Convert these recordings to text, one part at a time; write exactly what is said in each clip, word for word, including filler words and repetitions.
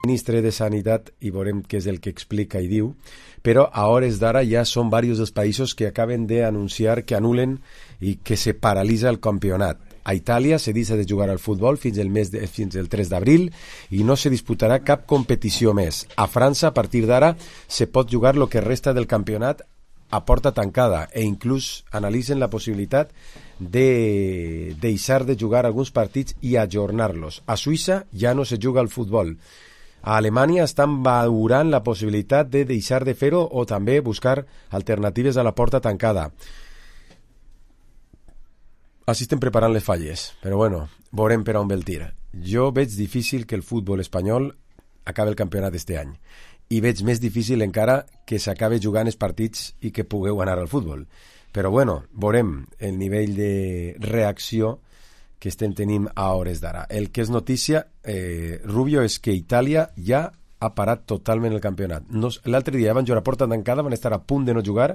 ministre de Sanitat i veurem què és el que explica i diu, però a hores d'ara ja són diversos els països que acaben d'anunciar que anulen i que se paralitza el campionat. A Itàlia se deixa de jugar al futbol fins el mes de, fins el tres d'abril i no se disputarà cap competició més. A França, a partir d'ara, se pot jugar el que resta del campionat a porta tancada e inclús analitzen la possibilitat de deixar de jugar alguns partits i ajornar-los. A Suïssa ja no se juga al futbol. A Alemanya estan valorant la possibilitat de deixar de fer-ho o també buscar alternatives a la porta tancada. Així estem preparant les falles, però bueno, veurem per on ve el tir. Jo veig difícil que el futbol espanyol acabi el campionat este any i veig més difícil encara que s'acabi jugant els partits i que pugueu anar al futbol. Però bueno, veurem el nivell de reacció que estem tenint a hores d'ara. El que és notícia, eh, Rubio, és que Itàlia ja ha parat totalment el campionat. No, l'altre dia van jugar a porta tancada, van estar a punt de no jugar,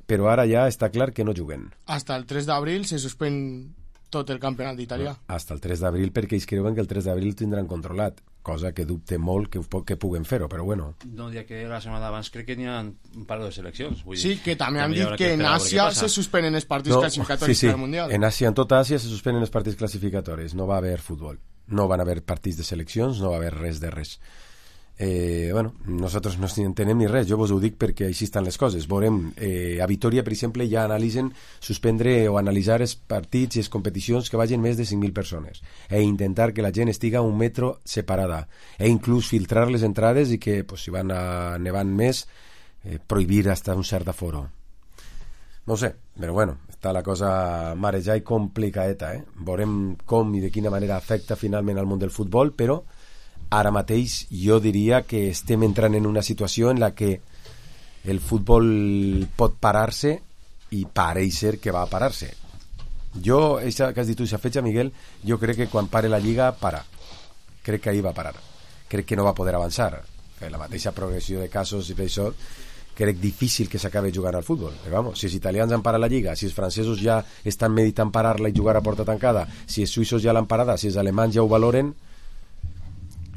però ara ja està clar que no juguen. Hasta el tres d'abril se suspèn tot el campionat d'Itàlia. No, hasta el tres d'abril, perquè ells creuen que el tres d'abril tindran controlat, cosa que dubte molt que, que puguen fer-ho, però bueno. No, ja que la setmana d'abans crec que n'hi ha un par de seleccions. Vull sí, dir, que també han dit que en Àsia se suspenen els partits no, classificatoris sí, sí. per al Mundial. En Àsia, en tota Àsia se suspenen els partits classificatoris, no va haver futbol, no van haver partits de seleccions, no va haver res de res. Eh, bueno, nosaltres no entenem ni res, jo vos ho dic perquè així estan les coses. Veurem, eh, a Vitoria, per exemple, ja analitzen suspendre o analitzar els partits i les competicions que vagin més de cinc mil persones e intentar que la gent estiga a un metro separada e inclús filtrar les entrades i que, pues, si van a nevant més, eh, prohibir hasta un cert aforo. No sé, però bueno, està la cosa mareja i complicadeta, eh? Veurem com i de quina manera afecta finalment al món del futbol, però ara mateix jo diria que estem entrant en una situació en la que el futbol pot parar-se i pareix ser que va a parar-se. Jo, això que has dit tu, aquesta fetge, Miguel, jo crec que quan pare la Lliga, para. Crec que ahir va parar. Crec que no va poder avançar. La mateixa progressió de casos i per això crec difícil que s'acabi jugant al futbol. Però, vamos, si els italians han parat la Lliga, si els francesos ja estan meditant parar-la i jugar a porta tancada, si els suïssos ja l'han parada, si els alemanys ja ho valoren,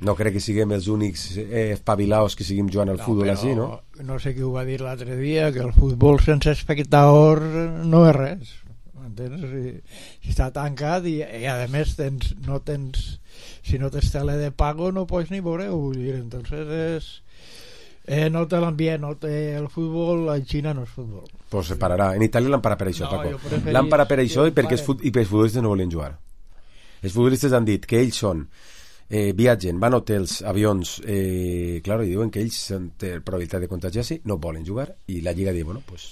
no crec que siguem els únics eh, espavilaos que siguem jugant al no, futbol així, no? No sé qui ho va dir l'altre dia, que el futbol sense espectador no és res. Entens? Si, si està tancat i, i a més tens, no tens, si no tens tele de pago no pots ni veure-ho. Vull dir, entonces és, eh, no té l'ambient, no té el futbol, a Xina no és futbol. Pues se pararà. En Itàlia l'han parat per això, no, Paco. Preferís... L'han parat per això i perquè els, fut... i els futbolistes no volen jugar. Els futbolistes han dit que ells són Eh, viatgen, van a hotels, avions, eh, claro, i diuen que ells tenen probabilitat de contagiar-se, no volen jugar, i la Lliga diu, bueno, pues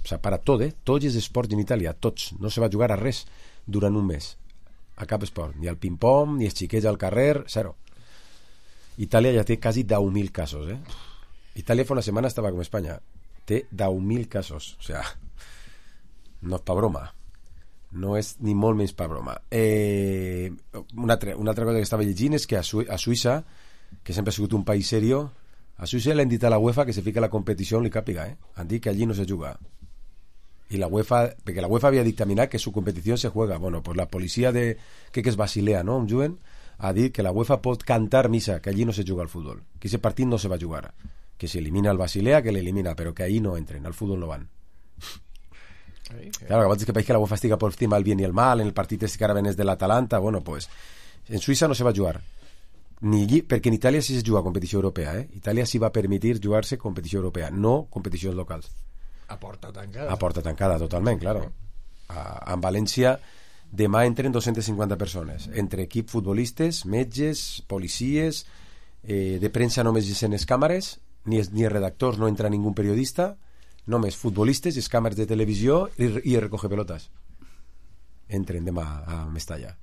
s'ha parat tot, eh? Tots els esports en Itàlia, tots, no se va jugar a res durant un mes, a cap esport, ni al ping-pong, ni els xiquets al carrer, zero. Itàlia ja té quasi deu mil casos, eh? Itàlia fa una setmana estava com Espanya, té deu mil casos, o sea, no és pa broma. No és ni molt menys per broma. Eh, una, altra, una altra cosa que estava llegint és que a, Su a Suïssa, que sempre ha sigut un país serio, a Suïssa l'han dit a la UEFA que se fica la competició on li càpiga, eh? Han dit que allí no se juga. I la UEFA, perquè la UEFA havia dictaminat que su competició se juega. Bueno, pues la policia de, crec que és Basilea, no?, on juguen, ha dit que la UEFA pot cantar missa, que allí no se juga al futbol, que ese partit no se va jugar, que si elimina el Basilea, que l'elimina, però que allí no entren, al futbol no van. Claro, que abans que país que la UEFA estiga por encima del bien y el mal, en el partit este que ara ven és de l'Atalanta, bueno, pues en Suïssa no se va jugar ni allí, perquè en Itàlia sí se juga competició europea, eh? Itàlia sí va permitir jugar-se competició europea, no competicions locals. A porta tancada. A porta tancada, totalment, claro. A, en València demà entren dos-centes cinquanta persones, entre equip futbolistes, metges, policies, eh, de premsa només hi sent les càmeres, ni, ni redactors, no entra ningú periodista, només futbolistes, les càmeres de televisió i, i recoge pelotes entren demà a Mestalla.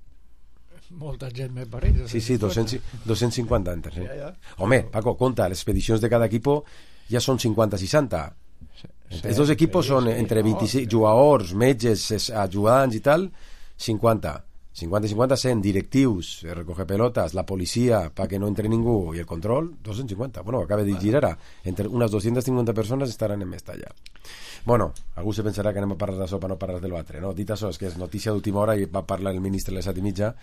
Molta gent me pareix. Sí, sí, dos-cents cinquanta entren, sí. Ja, ja. Home, Paco, compta, les expedicions de cada equipo ja són cinquanta seixanta. Sí, els dos equipos sí, són entre vint-i-sis no, jugadors, metges, ajudants i tal, cinquanta. cincuenta cincuenta cent, directius, recoger pelotas, la policia para que no entre ningú i el control, doscientos cincuenta. Bueno, acaba de dir ara, entre unes dues-centes cinquanta persones estaran en esta ja. Bueno, algú se pensarà que anem a parlar de sopa, no parlar de l'altre, no? Dit això, és que és notícia d'última hora i va parlar el ministre a les set i mitja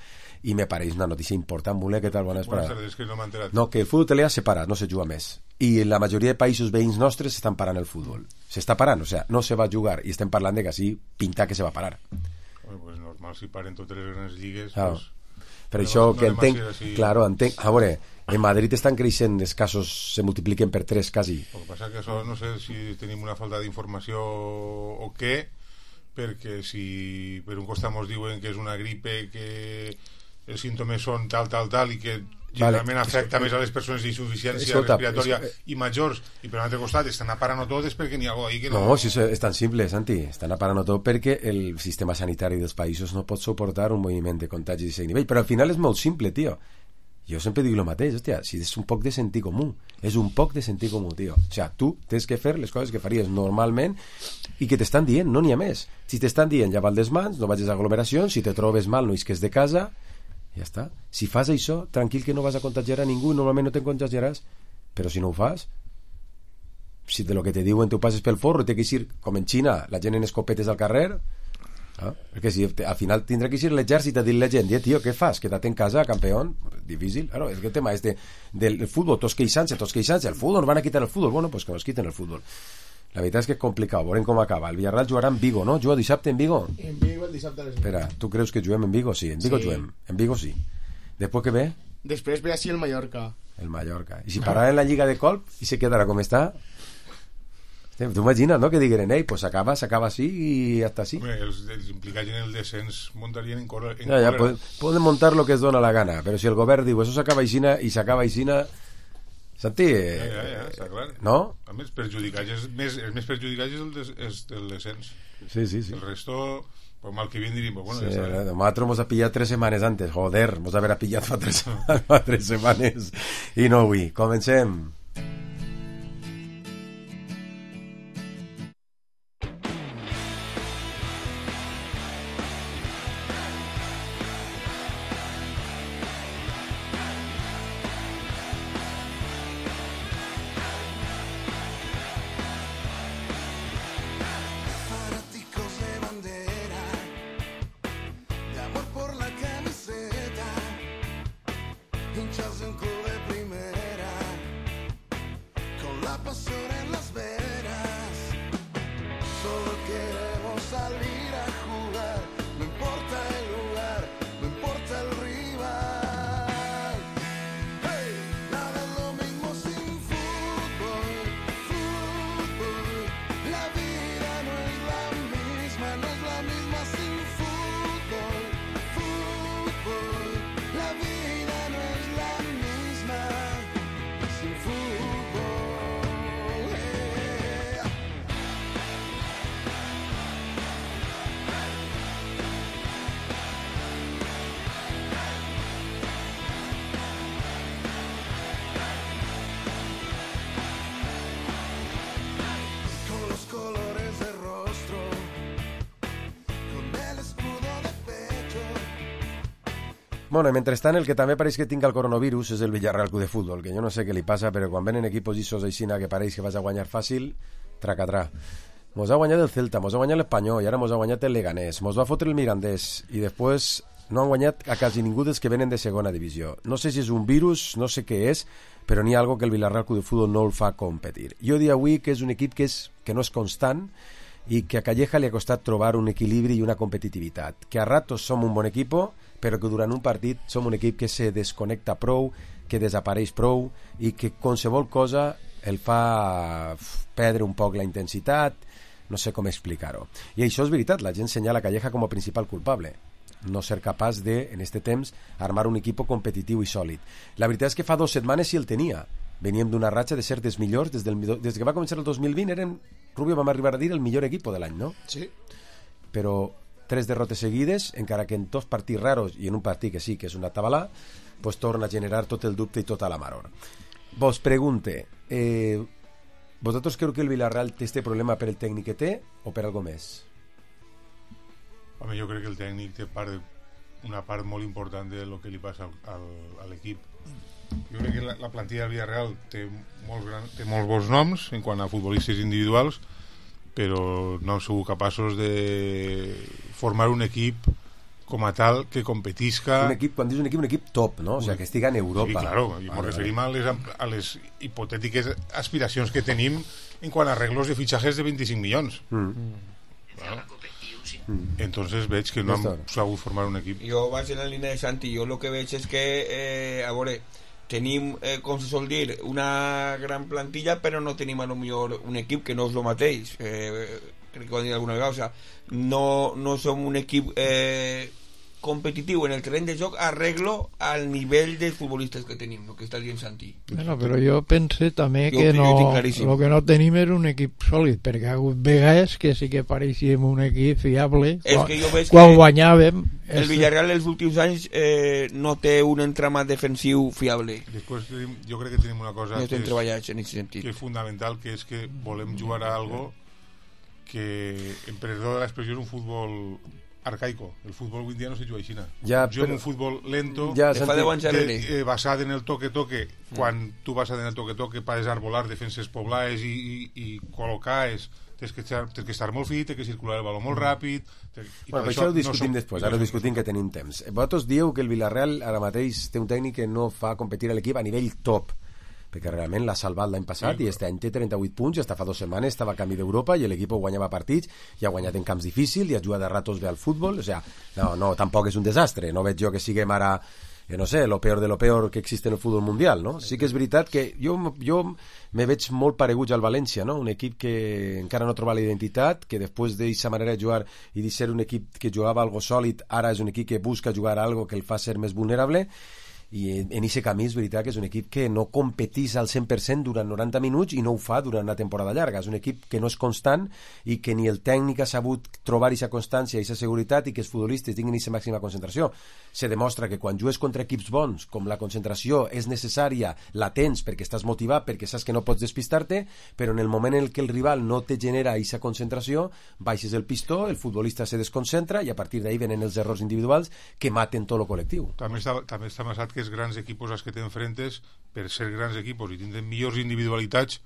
i me pareix una notícia important. Voler, què tal? Bones Buenas parades. tardes, que no m'he enterat. No, que el futbol italià s'ha parat, no se juga més. I la majoria de països veïns nostres s'estan parant el futbol. S'està parant, o sigui, no se va jugar i estem parlant de que així pinta que se va parar. Bueno, pues normal, si paren totes les grans lligues, Ah. pues... Per No, això no que anem a entenc, ser així. claro, entenc, a veure, en Madrid estan creixent els casos, se multipliquen per tres quasi. El que passa que això no sé si tenim una falta d'informació o què, perquè si per un costat ens diuen que és una gripe, que els símptomes són tal, tal, tal, i que generalment Vale. afecta més a les persones d'insuficiència Escolta, respiratòria es- i majors, i per un altre costat estan aparant-ho tot és perquè n'hi ha algú ahí que no... No, si és, és tan simple, Santi, estan aparant tot perquè el sistema sanitari dels països no pot suportar un moviment de contagis d'aquest nivell, però al final és molt simple, tio. Jo sempre dic el mateix, hòstia, si és un poc de sentit comú, és un poc de sentit comú, tio. O sigui, tu tens que fer les coses que faries normalment i que t'estan dient, no n'hi ha més. Si t'estan dient, ja val les mans, no vagis a aglomeracions, si te trobes mal, no isques de casa, ja està. Si fas això, tranquil que no vas a contagiar a ningú, normalment no te'n contagiaràs, però si no ho fas, si de lo que te diuen tu passes pel forro, té que ir, com en Xina, la gent en escopetes al carrer, ah, perquè si te, al final tindrà que ir l'exèrcit a dir la gent, eh, tio, què fas? Queda't en casa, campeón. Difícil, claro, és que el tema este del futbol, tots queixant-se, tots queixant-se, el futbol, nos van a quitar el futbol, bueno, pues que nos quiten el futbol. La veritat és que és complicat, veurem com acaba. El Villarreal jugarà en Vigo, no? Juga dissabte en Vigo? En Vigo el dissabte a les Espera, tu creus que juguem en Vigo? Sí, en Vigo Sí. juguem. En Vigo sí. Després què ve? Després ve així el Mallorca. El Mallorca. I si pararà en la Lliga de Colp i se quedarà com està? Tu imagines, no? Que digueren, ei, pues s'acaba, s'acaba així i hasta així. Hombre, els, els implicats en el descens muntarien en, cor en Ja, ja, còlera. poden, poden montar lo que es dona la gana, però si el govern diu això s'acaba aixina i s'acaba aixina, Santi, eh, Ja, ja, ja, està clar. no? A més, perjudicats és més, els més perjudicats és el, des, és el descens. Sí, sí, sí. El resto, pues mal que bien diríem, pues bueno, Sí, ja està. nosaltres mos ha pillat tres setmanes antes, joder, mos haver pillat fa tres, fa tres setmanes i no avui. Comencem. Fanáticos de bandera, de amor por la camiseta, hinchas de un club de primera, con la pasión en las venas. Solo queremos salir a jugar, no importa el lugar, no importa el rival. Hey, nada es lo mismo sin fútbol, fútbol. La vida no es la misma, no es la misma sin fútbol, fútbol. La vida no es la misma sin fútbol. Yeah. Con los colores de rostro, con el escudo de pecho. Bueno, i mentrestant el que també pareix que tinga el coronavirus és el Villarreal Club de Futbol, que jo no sé què li passa, però quan venen equipos llissos aixina que pareix que vas a guanyar fàcil, tracatrà. Mos ha guanyat el Celta, mos ha guanyat l'Espanyol i ara mos ha guanyat el Leganés, mos va fotre el Mirandés i després no han guanyat a quasi ningú dels que venen de segona divisió. No sé si és un virus, no sé què és, però n'hi ha algo que el Villarreal Club de Futbol no el fa competir. Jo diria avui que és un equip que, és, que no és constant i que a Calleja li ha costat trobar un equilibri i una competitivitat. Que a ratos som un bon equip, però que durant un partit som un equip que se desconnecta prou, que desapareix prou i que qualsevol cosa el fa perdre un poc la intensitat, no sé com explicar-ho. I això és veritat, la gent senyala Calleja com a principal culpable. No ser capaç de, en este temps, armar un equip competitiu i sòlid. La veritat és que fa dues setmanes sí el tenia. Veníem d'una ratxa de ser dels millors, des, del, des que va començar el dos mil vint, eren, Rubio, vam arribar a dir el millor equip de l'any, no? Sí. Però tres derrotes seguides, encara que en dos partits raros i en un partit que sí, que és una tabalà, pues torna a generar tot el dubte i tota la maror. Vos pregunte, eh, vosaltres creu que el Villarreal té este problema per el tècnic que té o per algo més? Home, jo crec que el tècnic té part de, una part molt important de lo que li passa al, al, a l'equip. Jo crec que la, la plantilla del Villarreal té molts, gran, té molts bons noms en quant a futbolistes individuals, però no han sigut capaços de formar un equip com a tal que competisca. Un equip, quan dius un equip, un equip top, no? O sigui, que estiga en Europa. Sí, claro, i ens referim a les, a les hipotètiques aspiracions que tenim en quant a arreglos de fitxajes de vint-i-cinc milions. Mm. Claro. Mm. Entonces veig que no han sabut formar un equip. Jo vaig en la línia de Santi. Jo el que veig és que, eh, a veure, tenim, eh, com se sol dir, una gran plantilla, però no tenim a lo millor un equip que no és el mateix. Eh, crec que ho han dit alguna vegada. O sea, no, no som un equip eh, competitiu en el terreny de joc arreglo al nivell de futbolistes que tenim, el que està dient Santi. Bueno, però jo pense també jo, que no, el que no tenim és un equip sòlid, perquè ha hagut vegades que sí que pareixíem un equip fiable és quan, que jo veig quan que guanyàvem. El Villarreal els últims anys eh, no té un entramat defensiu fiable. Després jo crec que tenim una cosa no que, és, en sentit. que és fundamental, que és que volem jugar a algo que, en perdó de l'expressió, és un futbol arcaico. El fútbol hoy en día no se juega així. Ja, jo en un futbol lento, ja, de fa deu anys de, eh, basat en el toque-toque, mm. quan tu basat en el toque-toque para desarbolar defenses poblaes i, i, i col·locar-es, tens que, estar, tens que estar molt fit, tens que circular el baló molt ràpid. I bueno, per això, això ho discutim no després, ara ho discutim que tenim temps. Vosaltres dieu que el Villarreal ara mateix té un tècnic que no fa competir a l'equip a nivell top, perquè realment l'ha salvat l'any passat sí, i aquest any té trenta-vuit punts i hasta fa dues setmanes estava a camí d'Europa i l'equip guanyava partits i ha guanyat en camps difícils i ha jugat a ratos bé al futbol, o sea, no, no, tampoc és un desastre, no veig jo que siguem ara eh, no sé, lo peor de lo peor que existe en el futbol mundial, no? Sí que és veritat que jo, jo me veig molt pareguts al València, no? Un equip que encara no troba la identitat, que després d'aquesta manera de jugar i de ser un equip que jugava algo sòlid, ara és un equip que busca jugar algo que el fa ser més vulnerable, i en aquest camí és veritat que és un equip que no competís al cent per cent durant noranta minuts i no ho fa durant una temporada llarga, és un equip que no és constant i que ni el tècnic ha sabut trobar aquesta constància i aquesta seguretat i que els futbolistes tinguin aquesta màxima concentració. Se demostra que quan jugues contra equips bons, com la concentració és necessària, la tens perquè estàs motivat, perquè saps que no pots despistar-te, però en el moment en què el rival no te genera aquesta concentració, baixes el pistó, el futbolista se desconcentra i a partir d'ahí venen els errors individuals que maten tot el col·lectiu. També està, també està basat que els grans equipos als que t'enfrentes, per ser grans equipos i tindre millors individualitats,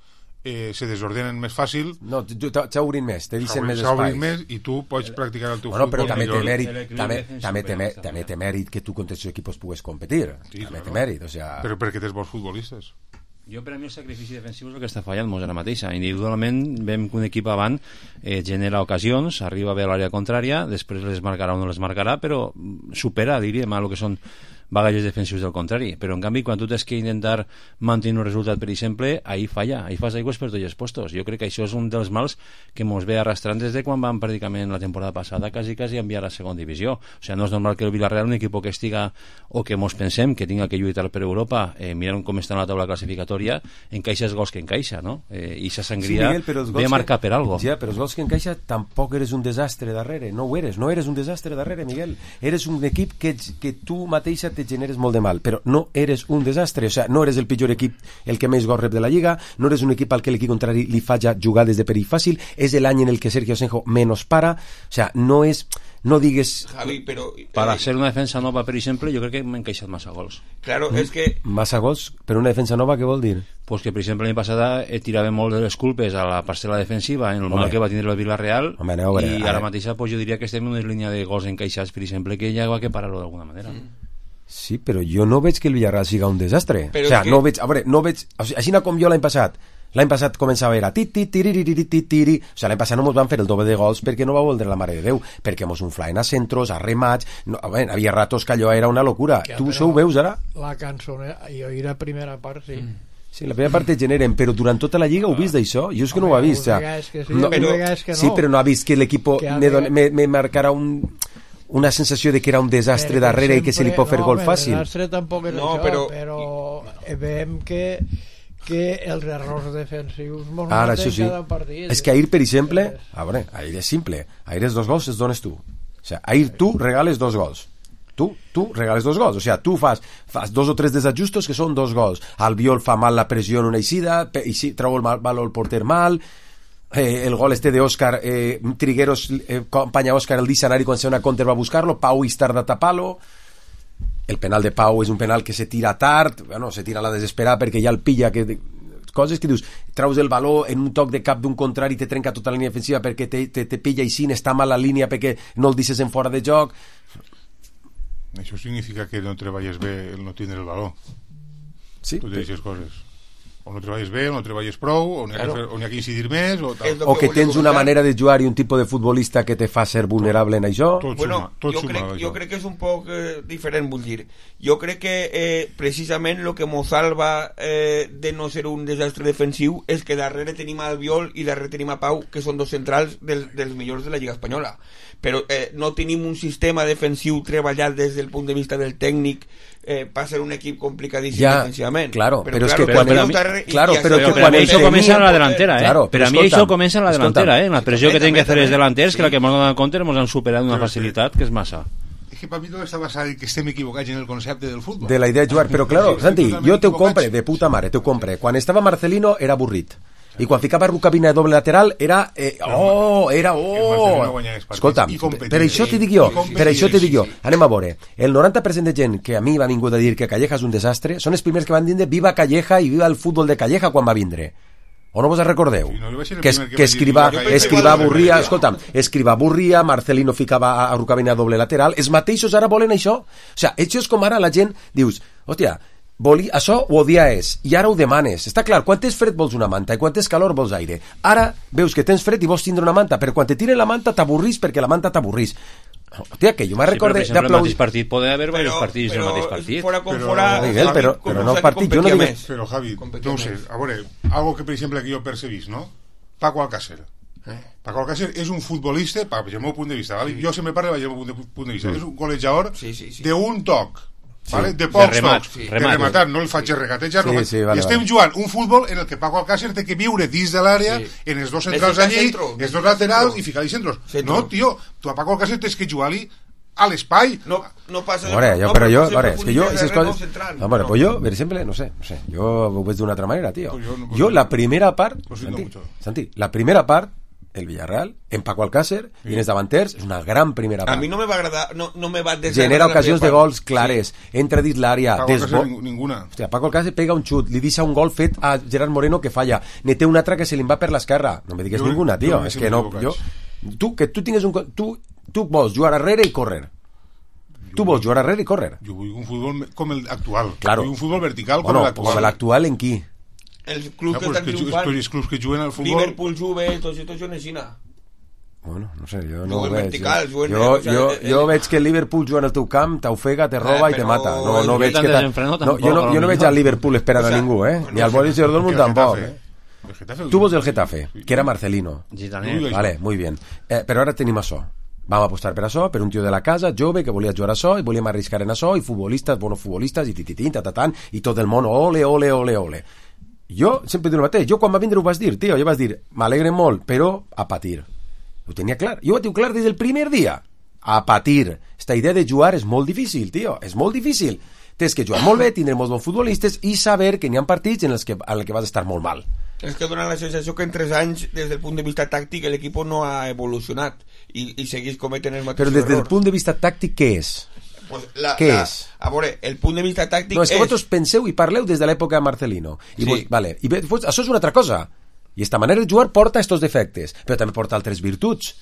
eh, se desordenen més fàcil. No, t'obrin més, te deixen més espai. Més i tu pots practicar el teu bueno, futbol. Però també té mèrit, el també, també, té, també, també té mèrit que tu contra els equipos pugues competir. Sí, també claro. té mèrit, o sea... Però perquè tens bons futbolistes. Jo, per a mi, el sacrifici defensiu és el que està fallant molt ara mateixa. Individualment, veiem que un equip avant eh, genera ocasions, arriba bé a l'àrea contrària, després les marcarà o no les marcarà, però supera, diríem, a el que són bagatges defensius del contrari, però en canvi quan tu tens que intentar mantenir un resultat, per exemple, ahí falla, ahí fas aigües per tots els postos. Jo crec que això és un dels mals que mos ve arrastrant des de quan vam pràcticament la temporada passada quasi quasi enviar a la segona divisió. O sigui, no és normal que el Villarreal, un equip que estiga o que mos pensem que tinga que lluitar per Europa, eh, mirant com està en la taula classificatòria, encaixa els gols que encaixa, no? Eh, i sa sangria sí, Miguel, ve a marcar per algo. Ja, però els gols que encaixa tampoc eres un desastre darrere, no ho eres, no eres un desastre darrere, Miguel. Eres un equip que, que tu mateixa te generes molt de mal, però no eres un desastre, o sea, no eres el pitjor equip el que més gols rep de la Lliga, no eres un equip al que l'equip contrari li falla jugades de perill fàcil, és l'any en el que Sergio Asenjo menos para, o sea, no és no digues... Javi, però... Eh, para ser una defensa nova, per exemple, jo crec que m'he encaixat massa gols. Claro, mm. és que... Massa gols? Per una defensa nova, què vol dir? Pues que, per exemple, l'any passada eh, tirava molt de les culpes a la parcel·la defensiva en el Home. mal que va tindre el Villarreal. Home, no, veure, i ara mateixa pues, jo diria que estem en una línia de gols encaixats, per exemple, que ja va que parar-ho d'alguna manera. Mm. Sí, però jo no veig que el Villarreal siga un desastre. Però o sea, que... no veig, a veure, no veig, o sigui, així com jo l'any passat, l'any passat començava a veure ti ti tiri tiri tiri tiri, o sigui, l'any passat no mos van fer el doble de gols perquè no va voler la mare de Déu, perquè mos unflaen a centros, a remats, no, a veure, havia ratos que allò era una locura. Que, tu això ho veus ara? La cançonera, jo i la primera part, sí. Mm. Sí, la primera part te generen, però durant tota la Lliga ho vist d'això? Jo és que no ho ha vist. O sea, que sí, no, però, que no. Sí, però no ha vist que l'equip me, me, me marcarà un... una sensació de que era un desastre perquè darrere sempre, i que se li pot fer no, gol fàcil. El desastre tampoc és no, això, però, però veiem que que els errors defensius mos ara, maten sí. cada partit. És que ahir, per exemple, a veure, ahir és simple, ahir els dos gols els dones tu. O sea, ahir tu regales dos gols. Tu, tu regales dos gols, o sea, tu fas, fas dos o tres desajustos que són dos gols. Albiol fa mal la pressió en una eixida, i si treu el mal, el porter mal, eh, el gol este de Òscar, eh, Trigueros eh, acompanya Òscar el diccionari quan se una contra va a buscar-lo, Pau és tard a tapar-lo, el penal de Pau és un penal que se tira tard, bueno, se tira a la desesperada perquè ja el pilla, que coses que dius, traus el valor en un toc de cap d'un contrari, te trenca tota la línia defensiva perquè te, te, te pilla i sin, està mal la línia perquè no el deixes en fora de joc. Això significa que no treballes bé el no tindre el valor. Sí, totes aquestes coses. O no treballes bé, o no treballes prou, o n'hi ha, claro. ha que incidir més, o tal. O que tens una manera de jugar i un tipus de futbolista que te fa ser vulnerable en això. Tot, tot bueno, suma, tot jo, suma, crec, jo crec que és un poc eh, diferent, vull dir. Jo crec que eh, precisament el que mos salva eh, de no ser un desastre defensiu és que darrere tenim a Albiol i darrere tenim a Pau, que són dos centrals del, dels millors de la Lliga Espanyola. Però eh, no tenim un sistema defensiu treballat des del punt de vista del tècnic eh, per ser un equip complicadíssim ja, defensivament. Claro, però, però és claro, que quan... Però, Però, claro, però però, que però quan això comença en la delantera, eh? Claro, però a mi escolta, això comença en la delantera, eh? La pressió que tenen que fer els delanters, sí. que la que ens donen compte ens han superat d'una facilitat que és massa. És que per mi tot està basat en que estem equivocats en el concepte del futbol. De la idea de jugar, però claro, Sí, Santi, totalment jo te ho equivocats. compre, de puta mare, te ho compre. Quan estava Marcelino era avorrit. I quan ficava Rucabina de doble lateral era... Eh, oh, era... Oh! Escolta, per això te dic jo, per això te dic jo. Anem a veure. El noranta per cent de gent que a mi va vingut a dir que Calleja és un desastre són els primers que van dir viva Calleja i viva el futbol de Calleja quan va vindre. O no vos recordeu? Sí, no, jo vaig ser el que, primer que que va dir escriva, viva Calleja. escriva avorria, escolta'm, escriva avorria, Marcelino ficava a, a Rucabina doble lateral, els mateixos ara volen això. O sigui, això és com ara la gent dius, hòstia, Voli, això ho odia és, i ara ho demanes. Està clar, quan tens fred vols una manta i quan tens calor vols aire. Ara veus que tens fred i vols tindre una manta, però quan te tiren la manta t'avorrís perquè la manta t'avorrís. Hòstia, que jo me'n Sí, recorde però, per exemple, el d'aplaudir... mateix partit pot haver diversos partits del mateix partit. Fora com Però- fora, Miguel, Javi, però- com però no no s'ha de partit, jo no competir dic- més. Però Javi, Competir no ho sé, més. a veure, algo que per exemple que jo percebís, no? Paco Alcácer. Eh? Paco Alcácer és un futbolista, per el meu punt de vista, ¿vale? Jo sempre parlo del meu punt de, punt de vista, és un golejador Sí, sí, sí. d'un toc. ¿Vale? De De pocs remat, tocs, sí. de remat. rematar, no el faig regatejar, Sí, no, sí, vale, i estem vale. jugant un futbol en el que Paco Alcácer té que viure dins de l'àrea, Sí. en els dos centrals Necessita allí, centro, els necessita dos laterals centro. i ficar-hi centros. Centro. No, tio, tu a Paco Alcácer tens que jugar-li a l'espai. No, no passa de... Veure, jo, no, però jo, no veure, és que jo, profunditza aquestes res, no coses... central. No, bueno, No. pues jo, per exemple, no sé, no sé, jo ho veig d'una altra manera, tio. Pues yo no- Jo, la primera part, Lo siento Santi, mucho. Santi, la primera part, el Villarreal, en Paco Alcácer, i en els davanters, és una gran primera A part. mi no me va agradar, no, no me va desagradar. Genera la ocasions de primera part. gols clares, entra dins l'àrea, Paco desbo... Alcácer ning- ninguna. Hòstia, Paco Alcácer pega un xut, li deixa un gol fet a Gerard Moreno que falla, ne té un altre que se li va per l'esquerra. No me digues Jo- ninguna, jo tio, me és sembla que no... Jo, equivocats. tu, que tu tingues un... co- Tu, tu vols jugar arrere i córrer. Tu vols jugar arrere i córrer. Jo vull un futbol com el actual. Claro. Vull un futbol vertical com Bueno, l'actual. com l'actual en qui? Els clubs No, que pues estan que, ju- triomfant, tots els clubs que juguen al futbol... Liverpool, Juve, tots estos juguen així. Bueno, no sé, jo no ho Juguen veig. vertical, jo, juguen- jo, o sea, jo, eh, jo eh, veig que el Liverpool juga en el teu camp, t'ofega, te roba Eh, i te però mata. No, no el veig tan que... ta- desenfrenat No, tampoc, jo, no, jo no potser. veig al Liverpool esperant O sea, a ningú, eh? Ni al no, Borussia Dortmund que el tampoc. Getafe. Eh? El Getafe- Tu vols el Getafe, que era Marcelino. Gitaner. Ui, Vale, muy bien. Eh, però ara tenim això. Vam apostar per això, per un tio de la casa, jove, que volia jugar a això, i volíem arriscar en això, i futbolistes, bonos futbolistes, i tititín, tatatán, i tot el món, ole, ole, ole, ole. Jo sempre dic el mateix, jo quan va vindre ho vas dir, tio, jo vas dir, m'alegre molt, però a patir. Ho tenia clar, jo ho tinc clar des del primer dia. A patir. Esta idea de jugar és molt difícil, tio, és molt difícil. Tens que jugar molt bé, tindre molts bons futbolistes i saber que n'hi ha partits en els que, en els que vas estar molt mal. És que dona la sensació que en tres anys, des del punt de vista tàctic, l'equip no ha evolucionat i, i segueix cometent els Però mateixos des del errors. punt de vista tàctic, què és? Pues la, Què la, és? A veure, el punt de vista tàctic No, és que és... vosaltres penseu i parleu des de l'època de Marcelino. I Sí. vos, vale, i ve- vos, això és una altra cosa. I esta manera de jugar porta estos defectes, però també porta altres virtuts.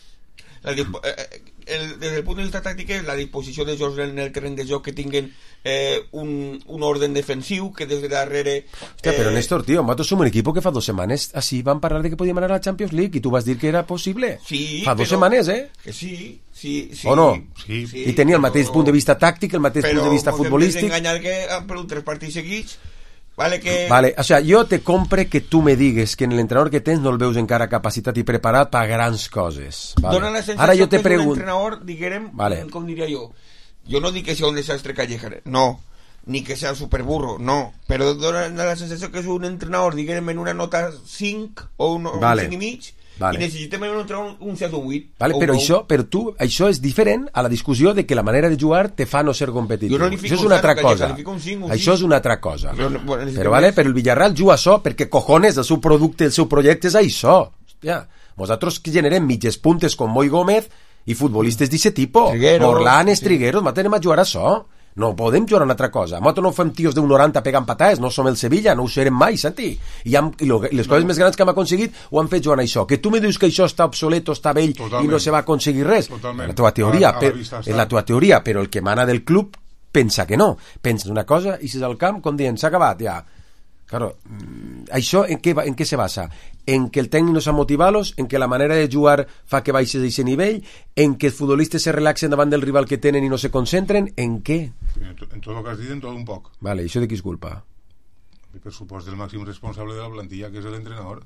La, dispo- eh, eh, el, des del punt de vista tàctic és la disposició de jocs en el terreny de joc que tinguen eh, un, un orden defensiu que des de darrere... Hòstia, però Néstor, tio, nosaltres som un equip que fa dues setmanes així vam parlar de que podíem anar a la Champions League i tu vas dir que era possible. Sí, fa dues però- setmanes, eh? Que sí, sí, sí. O no? Sí. I tenia el mateix punt de vista tàctic, el mateix punt de vista futbolístic. Però enganyar que han perdut tres partits seguits, vale que... Vale, o sea, jo te compre que tu me digues que en l'entrenador que tens no el veus encara capacitat i preparat per grans coses. Vale. Dona la sensació Ara jo te que és un pregunto... entrenador, diguem, Vale. com diria jo, jo no dic que sea un desastre Calleja, no, ni que sea superburro, no, però dona la sensació que és un entrenador, diguem, en una nota cinc o un, Vale. un cinc i mig, Vale. i necessitem un entrenador un set o un vuit. Vale, o però un això, però tu, això és diferent a la discussió de que la manera de jugar te fa no ser competitiu. Jo no li fico Això és un una zero, altra que li cosa. califico un cinc, un Això sis. és una altra cosa. Jo no- bueno, necessitem Però, vale, més. però el Villarreal juga això perquè, cojones, el seu producte, el seu projecte és això. Ja. Nosaltres generem mitges puntes com Moi Gómez i futbolistes d'aquest tipus. Trigueros. Morlanes, Sí. Trigueros, nosaltres anem a jugar a això. No podem jugar a una altra cosa. Nosaltres no fem tios d'un noranta pegant patades, no som el Sevilla, no ho serem mai, Santi. I, hem, i, lo, i les coses no. més grans que hem aconseguit ho han fet jugant a això. Que tu me dius que això està obsoleto, està vell Totalment. i no se va aconseguir res. Totalment. La teva teoria, A la- a la per, vista està. és la teva teoria, però el que mana del club pensa que no. Pensa una cosa i si és al camp, com dient, s'ha acabat, ja. Claro, mm, això en què, va- en què se basa? En que el tècnic no s'ha motivat-los, en que la manera de jugar fa que baixes d'aquest nivell, en que els futbolistes se relaxen davant del rival que tenen i no se concentren, en què? En, to, en tot el que has dit, en tot un poc. Vale, això de qui és culpa? I per supost del màxim responsable de la plantilla, que és l'entrenador.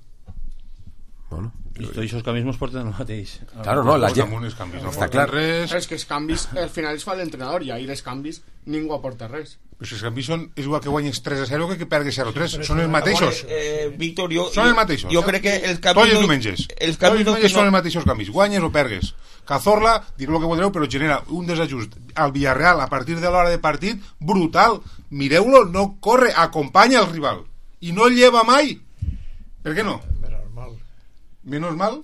Bueno, I tots aquests canvis mos porten al mateix. claro, no, la Pues gent... damunt els canvis no Està porten clar. res. És que els canvis al final els fa l'entrenador i ahir els canvis ningú aporta res. Però si els canvis són, és igual que guanyes tres a zero que que pergues zero a tres. Són els mateixos. Eh, Víctor, jo, Són els mateixos. jo crec que els Tots canvis... els no- diumenges. Els Tots els canvis no, diumenges que són els no, mateixos canvis. Guanyes o pergues. Cazorla, direu el que voldreu, però genera un desajust al Villarreal a partir de l'hora de partit brutal. Mireu-lo, no corre, acompanya el rival. I no el lleva mai. Per què no? Menos mal. Menos mal.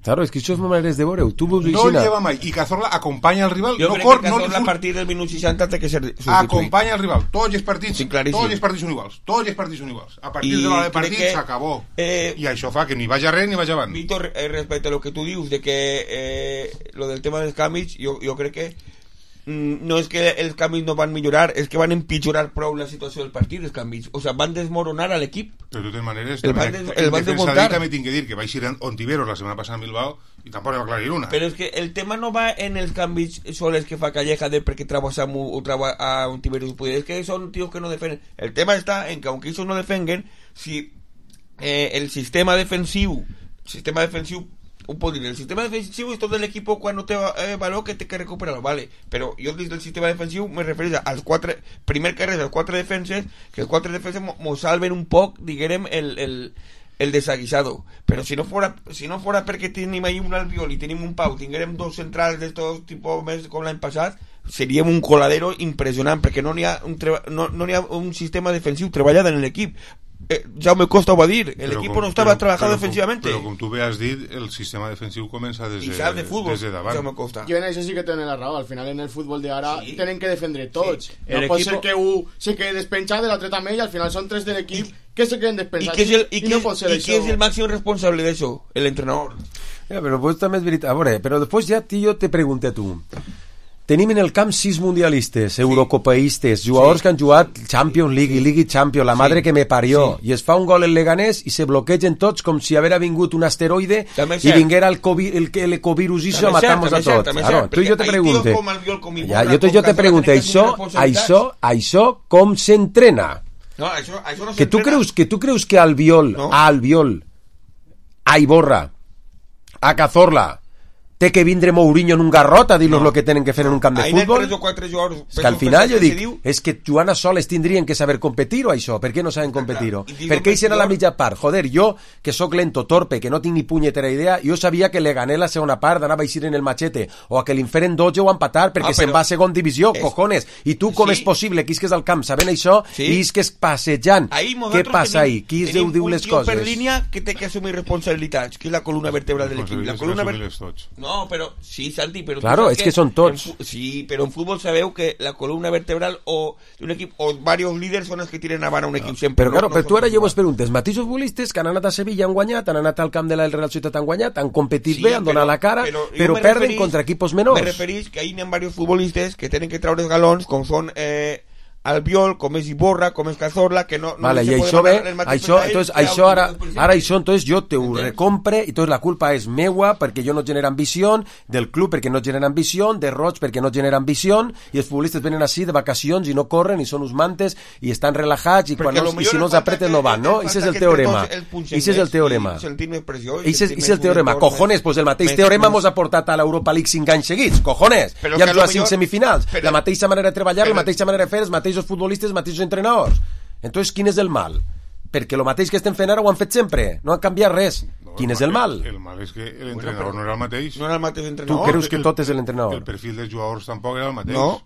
Claro, és que això és maneres de veure-ho. Tu veus No el així, lleva mai. I Cazorla acompanya el rival. jo no crec cor, que no Cazorla li a fur- partir del minut seixanta té que ser substituït. acompanya el rival. Tots els partits, Sí, claríssim. tots els partits són iguals. Tots els partits són iguals. A partir I de l'hora de crec partit que, s'acabó. eh, I això fa que ni vagi res ni vagi avant. Víctor, eh, respecte a lo que tú dius de que eh, lo del tema dels canvis, jo, jo crec que mm, no és que els canvis no van millorar, és que van empitjorar prou la situació del partit, els canvis. O sea, van desmoronar a l'equip. Però de totes maneres, El també, van des- el en van defensa desmuntar. d'ell també tinc que dir que vaig ir a Ontiveros la setmana passada a Bilbao i tampoc va aclarir una. Però és que el tema no va en els canvis sols que fa Calleja de perquè traba a Samu o traba a un Tiberus. És que són tios que no defenden. El tema està en que aunque ellos no defenguen, si eh, el sistema defensiu, sistema defensiu un pot dir, el sistema defensiu és tot l'equip quan no té eh, valor que té que recuperar-lo, vale, però jo des del sistema defensiu me refereixo als quatre, primer que res, als quatre defenses, que els quatre defenses mo, mo salven un poc, diguem, el, el, el desaguisado, però si no fora, si no fora perquè tenim ahí un Albiol i tenim un Pau, tinguérem dos centrals d'estos tipus més com l'any passat, seríem un coladero impressionant, perquè no n'hi ha, un treba, no, no n'hi ha un sistema defensiu treballat en l'equip. Eh, Jaume Costa ho va dir, el Però equipo com- no estava però- trabajando però com- defensivamente. Però com tu bé has dit, el sistema defensiu comença des I de, sap de futbol, des de davant. Jaume Costa. Jo en això sí que tenen la raó. Al final, en el futbol d'ara Sí. tenen que defendre tots. Sí. No El pot equipo- ser que un se quede despenjat, l'altre també, i al final són tres de l'equip que se queden ¿Y despenjats. qué es el, y I qué no es- pot ser y això. qué es el máximo responsable de eso? El entrenador. Ja, però pues, també és veritat. A veure, però després ja jo te pregunto a tu. Tenim en el camp sis mundialistes, eurocopaistes, jugadors Sí. que han jugat Champions League i League Champions, la madre Sí. que me parió, Sí. i es fa un gol el Leganés i se bloquegen tots com si haguera vingut un asteroide També és i cert. vinguera el, COVID, el, el ecovirus i això a També és cert, matar-nos també a és cert, tots. també és Claro, cert, tu i jo te perquè hi pregunte, tios com Albiol, com ja, Iborra, jo, te, com jo te Cazorla pregunte, tenen que això, assumir responsabilitats. això, això com s'entrena? No, això, això no Que tu s'entrena. creus que tu creus que Albiol, No. a Albiol, a Iborra, a Cazorla, té que vindre Mourinho en un garrot a dir-los No. el que tenen que fer en un camp de Ahí n'hi ha futbol? tres o quatre jugadors. És que al final jo que se dic, diu- és que jugant a soles tindrien que saber competir-ho, això. Per què no saben competir-ho? clar. I dic Per què hi serà la competidor- mitja part? Joder, jo, que sóc lento, torpe, que no tinc ni punyetera idea, jo sabia que le gané la segona part, d'anava a eixir en el machete, o a que l'inferen dotze o empatar perquè Ah, se'n però- va a segon divisió, és- cojones. I tu com Sí. és possible que isques al camp sabent això Sí. i isques passejant? Ahí Què nosaltres passa tenim- ahí? Qui es tenim diu un les tio per coses? línia que té que assumir responsabilitats, que és la columna vertebral de l'equip. La columna ver- tots. No, però sí, Santi, però... tu Claro, saps és que són tots. en fu- Sí, però en futbol sabeu que la columna vertebral o d'un equip o varios líders són els que tiren avant a un equip sempre. Però, claro, no, però no tu són ara els jo vos iguals. preguntes, els mateixos futbolistes que han anat a Sevilla han guanyat, han anat al camp de la Real Societat han guanyat, han competit Sí, bé, han donat però- la cara, però però, jo me perden referís- contra equipos menors. Me referís que ahí n'hi ha diversos futbolistes que tenen que treure els galons, com són eh, Albiol, com és Iborra, com és Cazorla, que no, no Vale, se i puede això mandar ve, el mateix això, per a ells entonces, que a això un- ara, un president. ara això, entonces jo te ho Entens? recompre i entonces la culpa és meua perquè jo no genera ambició, del club perquè no genera ambició, de Roig perquè no genera ambició i els futbolistes venen així de vacacions i no corren i són uns mantes i estan relajats i, quan Perquè no, lo i millor si no ens els falta apreten que- no van, no? ens Ese és falta el que teorema. entre tots el punxem Ese és el més teorema. i sentir més pressió i Ese és, sentir ese és el més teorema. entorn, Cojones, pues el mateix més- teorema més- mos ha portat a l'Europa League cinc anys seguits. Cojones! Però Ja que hem lo jugat cinc millor- semifinals. però- La mateixa manera de treballar, la però- mateixa manera de fer, els mateixos futbolistes, els mateixos entrenadors. Entonces, quin és el mal? Perquè el mateix que estem fent ara ho han fet sempre. No han canviat res. No, Quin és el mal? El mal és que l'entrenador no era el mateix. No era el mateix Tu entrenador. creus que tot és l'entrenador? El perfil dels jugadors tampoc era el mateix. No.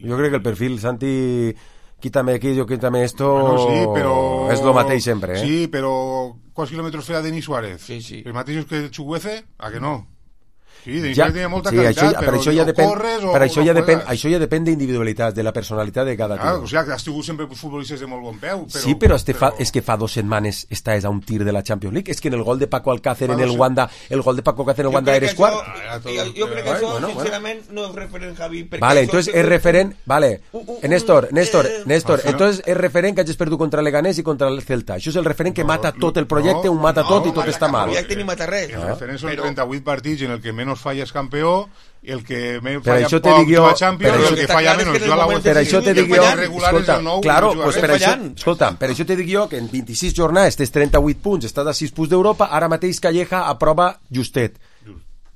Jo crec que el perfil, Santi, quítame aquí, yo quítame esto, Bueno, sí, però... és lo mateix sempre, eh? Sí, però quants quilòmetres feia Denis Suárez? Sí, sí. Els mateixos que Chukwueze? A que no? Sí, Denis Ja, Suárez tenia molta sí, qualitat, això ja, però per això ja o depèn, corres o per això no ja depèn, juegas. això ja depèn d'individualitat, de la personalitat de cada Clar, tio. o sigui, que has tingut sempre futbolistes de molt bon peu. Però, Sí, però, este fa, però... és que fa dos setmanes estàs a un tir de la Champions League. És que en el gol de Paco Alcácer Fa en dos el set- Wanda, el gol de Paco Alcácer en el Jo Wanda crec eres que això- quart. Ah, tot- jo, jo crec que Bueno, això, bueno. sincerament, no és referent, Javi. perquè Vale, això entonces té es un- referent, vale, un- un- Eh, Néstor, Néstor, eh, Néstor, al final- entonces es referent que hagis perdut contra Leganés i contra el Celta. Això és el referent que No, mata tot el no, projecte, un mata no, tot i tot el- està mal. el projecte ni mata res. El referent són Però- trenta-vuit partits en el que menys falla és campió, el que menys Per falla això te poc dic jo- juga a Champions, per i això- el que Està falla clar, és menys que en juga a la el Vuelta. Per moment això te que dic jo, fallant, regular és escolta, el nou, claro, que juga pues bé. per això, fallant. escolta, per això te dic jo que en vint-i-sis jornades tens trenta-vuit punts, estàs a sis punts d'Europa, ara mateix Calleja aprova justet.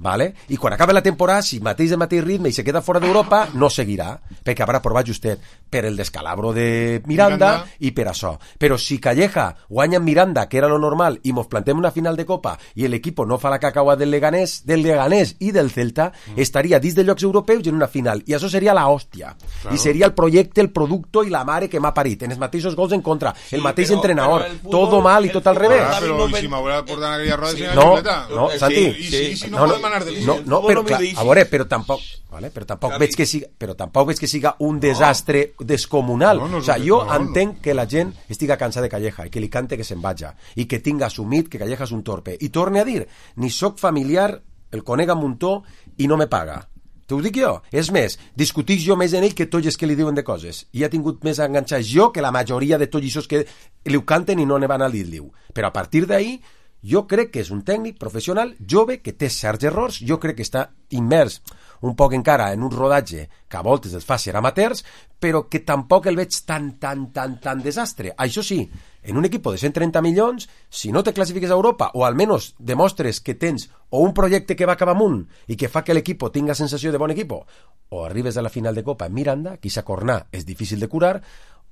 Vale? I quan acabi la temporada, si mateix el mateix ritme i se queda fora d'Europa, no seguirà, perquè haurà provat justet per el descalabro de Miranda, Miranda. i per això. Però si Calleja guanya en Miranda, que era lo normal, i mos plantem una final de Copa i l'equip no fa la cacaua del Leganés, del Leganés i del Celta, mm. estaria dins de llocs europeus i en una final. I això seria la hòstia. Claro. I seria el projecte, el producte i la mare que m'ha parit. En els mateixos gols en contra. Sí, el mateix però- entrenador. però el futbol- Todo mal i el tot al futbol revés. Ah, Javi, però no i ven- si m'haurà portat en aquella roda Sí. de No, xuleta? no, Sí, Santi. I si, i si no, no, podem anar de líder? no, no, Futbol però, no clar, m'ho deixis. a veure, però tampoc, vale, però tampoc Javi. veig que siga, però tampoc veig que siga un desastre descomunal. No, no és o sigui, un- jo no, no. entenc que la gent estiga cansada de Calleja i que li cante que se'n vaja i que tinga assumit que Calleja és un torpe. I torne a dir, ni soc familiar, el conec a muntó i no me paga. T'ho dic jo. És més, discutic jo més en ell que tots els que li diuen de coses. I ha tingut més enganxats jo que la majoria de tots aquests que li ho canten i no ne van a dir-li-ho. Però a partir d'ahí, jo crec que és un tècnic professional jove que té certs errors, jo crec que està immers un poc encara en un rodatge que a voltes els fa ser amateurs, però que tampoc el veig tan, tan, tan, tan desastre. Això sí, en un equip de cent trenta milions, si no te classifiques a Europa, o almenys demostres que tens o un projecte que va cap amunt i que fa que l'equip tinga sensació de bon equip, o arribes a la final de Copa en Miranda, que s'ha cornar és difícil de curar,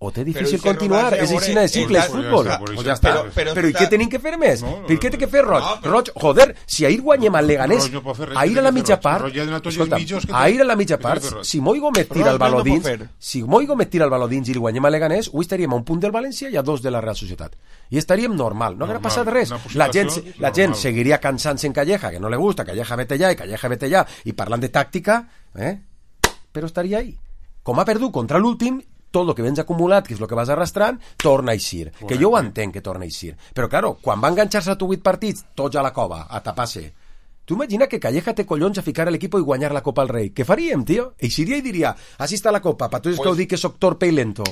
o té difícil Però continuar, ese és rodatge, així de amore, simple, és està- futbol. ja està, Pues però ja està. però- però Però i està- què tenim que fer més? No, Per què té que fer Roig? no, però- Roig, joder, si ahir guanyem al Leganés, Roig no pot fer res, ahir què a la té que fer mitja Roig? part, Roig ja ha donat tots els escolta, mitjos que té. ahir a la mitja Què té part, que fer Roig? si Moi Gómez tira Roig el baló no pot dins, fer. si Moi Gómez tira el baló dins i li guanyem al Leganés, avui estaríem a un punt del València i a dos de la Real Societat. I estaríem normal, no haguera Normal, passat res. una La gent, situació la gent normal. seguiria cansant-se en Calleja, que no le gusta, Calleja vete allà i Calleja vete allà, i parlant de tàctica, eh? però estaria ahí. Com ha perdut contra l'últim, tot el que vens acumulat, que és el que vas arrastrant, torna a eixir. Que jo ho entenc que torna a eixir. Però, claro, quan va enganxar-se a tu vuit partits, tots a la cova, a tapar-se. Tu imagina que Calleja té collons a ficar a l'equip i guanyar la Copa al Rei. Què faríem, tio? Eixiria i diria, així està la Copa, per tots els Pues- que ho dic que soc torpe i lento.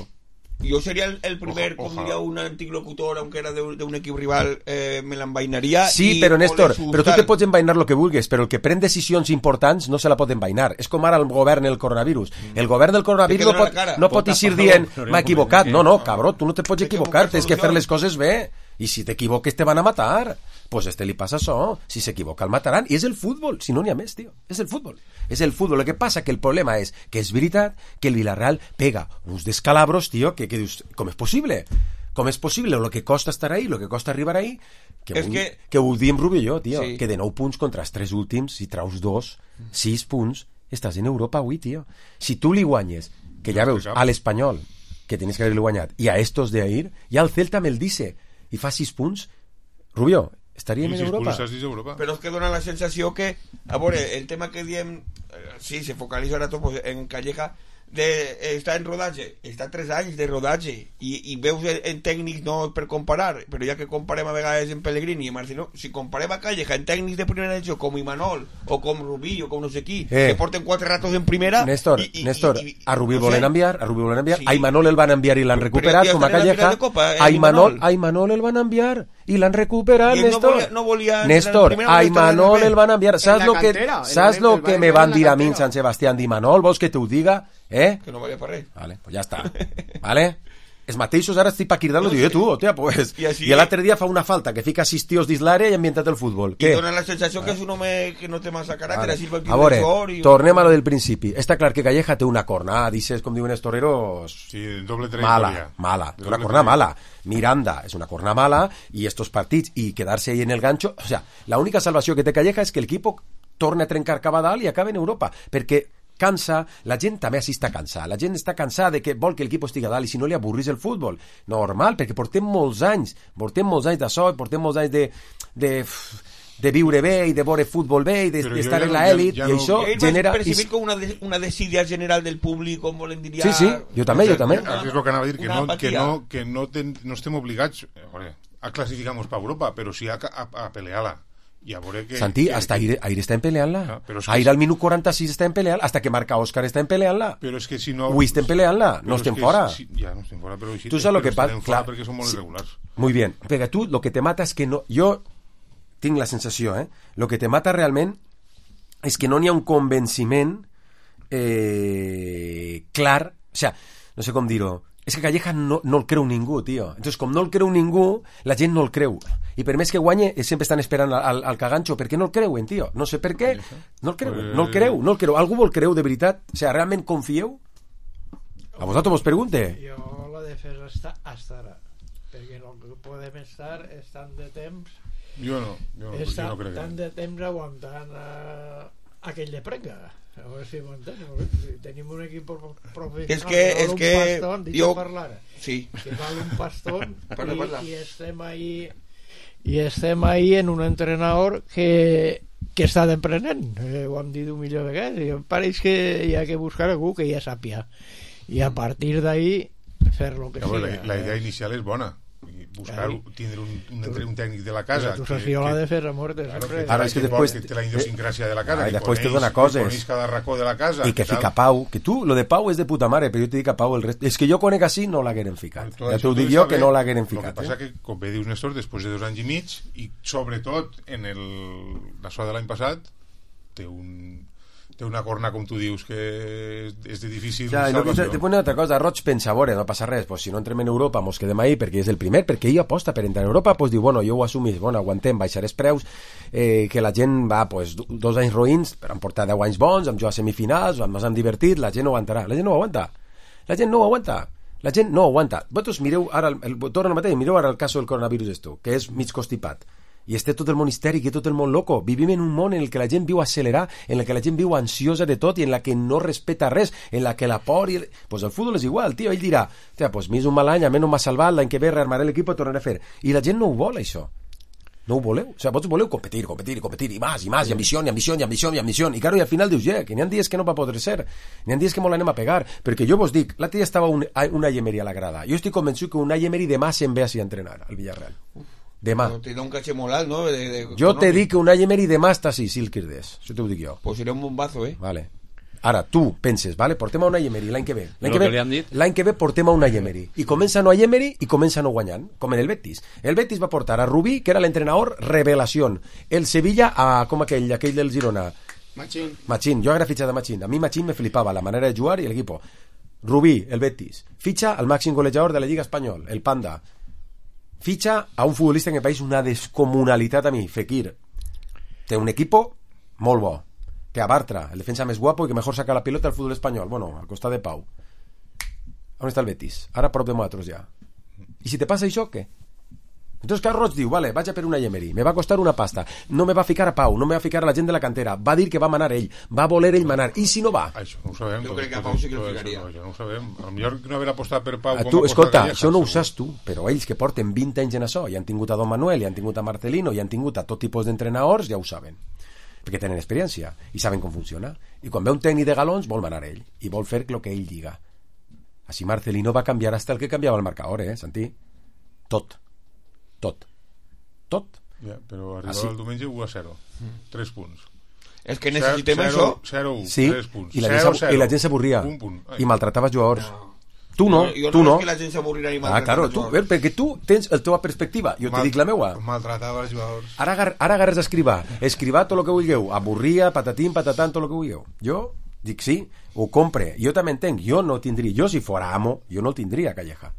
Yo sería el, el primer, Oja, como oja. diría un antilocutor, aunque era de, un- de un equipo rival, eh, me la envainaría. Sí, y- però o Néstor, le però tu sustar. te pots envainar el que vulguis, però el que pren decisions importants no se la pot envainar. És com ara el govern el coronavirus. El govern del coronavirus Te no queda pot, la cara. no pot Pot eixir tapar dient el m'ha equivocat. problema. No, no, cabró, tu no te pots Hay que equivocar, buscar tens que fer les solucions. coses bé. I si t'equivoques te van a matar. Pues este li passa això. Si s'equivoca el mataran. I és el futbol, si no n'hi ha més, tio. És el futbol. És el futbol. El que passa que el problema és que és veritat que el Villarreal pega uns descalabros, tio, que, que dius, com és possible? Com és possible? Lo que costa estar ahí, lo que costa arribar ahí, que, És avui, que- que ho diem Rubio i jo, tio, Sí. que de nou punts contra els tres últims, si traus dos, sis punts, estàs en Europa avui, tio. Si tu li guanyes, que ja No veus, té cap. a l'Espanyol, que tenies que haver-li guanyat, i a estos de ahir, i al Celta me'l dice, i fa sis punts, Rubio, estaríem en Europa. Europa. Pero es que dona la sensación que, a ver, el tema que diem, eh, sí, se focaliza ahora todo pues, en Calleja, de, eh, està en rodatge, està tres anys de rodatge i, i veus en, en tècnics no per comparar, però ja que comparem a vegades en Pellegrini i Marcelo, si comparem a Calleja en tècnics de primera edició com Imanol o com Rubí o com no sé qui, Eh. que porten quatre ratos en primera Néstor, i, i, Néstor, i, i, a Rubí no volen sé. enviar, a Rubí volen enviar, Sí. a Imanol el van enviar i l'han Però recuperat, ja com a estan en la Calleja, final de Copa, eh, a Imanol, Imanol. a Imanol el van enviar i l'han recuperat, I ell no Néstor. volia- no volia entrar en Néstor, primera, a volia estar en Imanol la el van enviar. Saps la lo que, cantera, el saps van- lo el que van me enviar van en la dir a mi en cantera. Sant Sebastián d'Imanol? Vols que t'ho diga? Eh? Que no valia per res. Vale, pues ja està. Vale? Els mateixos ara estic pa cridar-lo, No, diu, eh, sí. tu, hòstia, pues... I així- I l'altre dia fa una falta, que fica sis tios dins l'àrea i ha ambientat el futbol. I Què? dona la sensació que és un home que no té massa caràcter, Vale. així pel A veure, sort i... tornem a lo del principi. Està clar que Calleja té una cornada, dices, com diuen els toreros, Sí, doble mala, trayectoria. mala, Doble una corna trayectoria. mala. Miranda és una corna mala y estos partits y quedarse ahí en el gancho, o sea, la única salvació que té Calleja és que el equipo torne a trencar cap a dalt i acabe en Europa, perquè cansa, la gent també així està cansada, la gent està cansada de que vol que l'equip estigui a dalt i si no li avorrís el futbol, normal, perquè portem molts anys, portem molts anys d'això, portem molts anys de, de, de viure bé i de veure futbol bé i d'estar de, en l'elit, i no, això genera... percibir com una, de, una desidia general del públic, com volen dir ja... Sí, sí, jo també, jo també. És el que anava a dir, que no, que no, que no, ten, no estem obligats a classificar-nos per Europa, però sí a, a, a pelear-la. I a veure que... Santi, que, hasta que... Aire, Aire està en peleant-la. Ah, però és que... Aire al minut quaranta-sis està en peleant-la, hasta que marca Òscar està en peleant-la. Però és que si no... Avui estem peleant-la, no estem fora. Si... Ja, no estem fora, però... Si tu saps lo que passa? Clar, perquè som molt irregulars. Muy bien, perquè tu lo que te mata és que no... Jo tinc la sensació, eh? Lo que te mata realment és que no n'hi ha un convenciment eh, clar, o sea, no sé com dir-ho, és que Calleja no, no el creu ningú, tio. Entonces, com no el creu ningú, la gent no el creu. I per més que guanye, sempre estan esperant al, al caganxo, perquè no el creuen, tio. No sé per què, no el creuen, no el creu, no el creu. Algú vol creu de veritat? O sea, realment confieu? A vosaltres vos pregunte. Jo la defensa està estarà, perquè no podem estar estant de temps jo no, jo no, estar jo no crec tant que... de temps aguantant uh, aquell de prenga. A veure si m'entens. Tenim un equip professional és que, és un que pastón, jo... parlar, sí. que val un pastón Parla, i, parla. i estem ahí i estem ahí en un entrenador que que està d'emprenent, eh, ho hem dit un milió de vegades, i em pareix que hi ha que buscar algú que ja sàpia i a partir d'ahí fer lo que ja, sigui. La, la idea inicial és bona, buscar, Ahí. tindre un, un, un tècnic de la casa tu que, saps jo la que, defensa morta claro, sempre. que, Ara és que després- que té la idiosincràsia de la casa, Ah, i que després te coneix, dona coses. que coneix cada racó de la casa I que tal. fica Pau, que tu, lo de Pau és de puta mare, però jo te dic a Pau el rest... És que jo conec així, no l'hagueren ficat. Tot Ja això t'ho dic tot jo està que bé. no l'hagueren El que ficat. passa Eh? que, com bé dius Néstor, després de dos anys i mig i sobretot en el l'això de l'any passat té un té una corna, com tu dius, que és, és de difícil Ja, i no, te, salvació. te pone otra cosa, Roig pensa, a veure, no passa res, pues si no entrem en Europa mos quedem ahí perquè és el primer, perquè ell aposta per entrar en Europa, pues diu, bueno, jo ho assumís, bueno, aguantem, baixar els preus, eh, que la gent va, pues, dos anys roïns, però han portat deu anys bons, hem jugat semifinals, ens hem divertit, la gent no aguantarà, la gent no ho aguanta, la gent no ho aguanta, la gent no ho aguanta. Vosaltres mireu ara, el, el, torno al mateix, mireu ara el cas del coronavirus esto, que és mig constipat, i este tot el món histèric i tot el món loco. Vivim en un món en el que la gent viu accelerar, en el que la gent viu ansiosa de tot i en la que no respeta res, en la que la por... I... Pues el futbol és igual, tio. Ell dirà, tia, pues m'és un mal any, a mi no m'ha salvat, l'any que ve rearmaré l'equip i tornaré a fer. I la gent no ho vol, això. No ho voleu. O sigui, vosaltres voleu competir, competir, competir, i més, i més, i ambició, i ambició, i ambició, i ambició. I claro, i al final dius, yeah, que n'hi ha dies que no va poder ser. N'hi ha dies que molt l'anem a pegar. Perquè jo vos dic, l'altre dia estava un, una Emery a la grada. Jo estic convençut que una Emery demà se'n ve així a entrenar al Villarreal. Demà. Però te da un caché molt alt, no? De, de, Jo te econòmic. dic que un Emery demà està així, si el quirdés. Això t'ho dic jo. Pues serà un bombazo, eh? Vale. Ara, tu penses, vale? Portem a una Emery l'any que ve. L'any Lo que, que li han ve, dit. l'any que ve portem a una Emery. I comença no a Emery i comença no guanyant, com en el Betis. El Betis va portar a Rubí, que era l'entrenador revelación. El Sevilla a, com aquell, aquell del Girona. Machín. Machín, jo agra fitxat a Machín. A mi Machín me flipava la manera de jugar i el equipo. Rubí, el Betis. Fitxa al màxim golejador de la Lliga Espanyol, el Panda. Fitxa a un futbolista en el país una descomunalitat a mi, Fekir. Té un equipo molt bo. Que a Bartra, el defensa més guapo i que mejor saca la pilota al fútbol espanyol. Bueno, al costat de Pau. On està el Betis? Ara prop de nosaltres ja. I si te passa això, què? Entonces Carlos Roig diu, vale, vaig a per una Emery, me va costar una pasta, no me va ficar a Pau, no me va ficar a la gent de la cantera, va dir que va manar ell, va voler ell manar, i si no va? Això no ho sabem. Jo tot- crec que a tot- Pau sí que el tot ficaria. això, això no ho sabem. A lo millor no haver apostat per Pau A com tu, aposta escolta, Calleja, això no ho segur. saps tu, però ells que porten vint anys en això, i han tingut a Don Manuel, i han tingut a Marcelino, i han tingut a tot tipus d'entrenadors, ja ho saben, perquè tenen experiència, i saben com funciona, i quan ve un tècnic de galons vol manar ell, i vol fer el que ell diga. Així Marcelino va canviar hasta el que canviava el marcador, eh, Santi? Tot. Tot. Tot. Ja, però arribava Ah, sí? el diumenge u a zero. tres punts. És que necessitem zero, això. zero, Sí, tres punts. i la gent zero, s'abu- zero. i la gent s'avorria, Un punt. Ai. i maltratava jugadors. Tu no, Jo, jo tu no. no. És que la gent s'avorrirà i Ah, maltratarà claro, els tu, jugadors. perquè tu tens la teva perspectiva, jo te Mal- dic la meua. Maltratava els jugadors. Ara, agar- ara agarres a escrivar, escrivar tot el que vulgueu, avorria, patatín, patatán, tot el que vulgueu. Jo dic sí, ho compre, jo també entenc, jo no tindria, jo si fora amo, jo no el tindria, Calleja.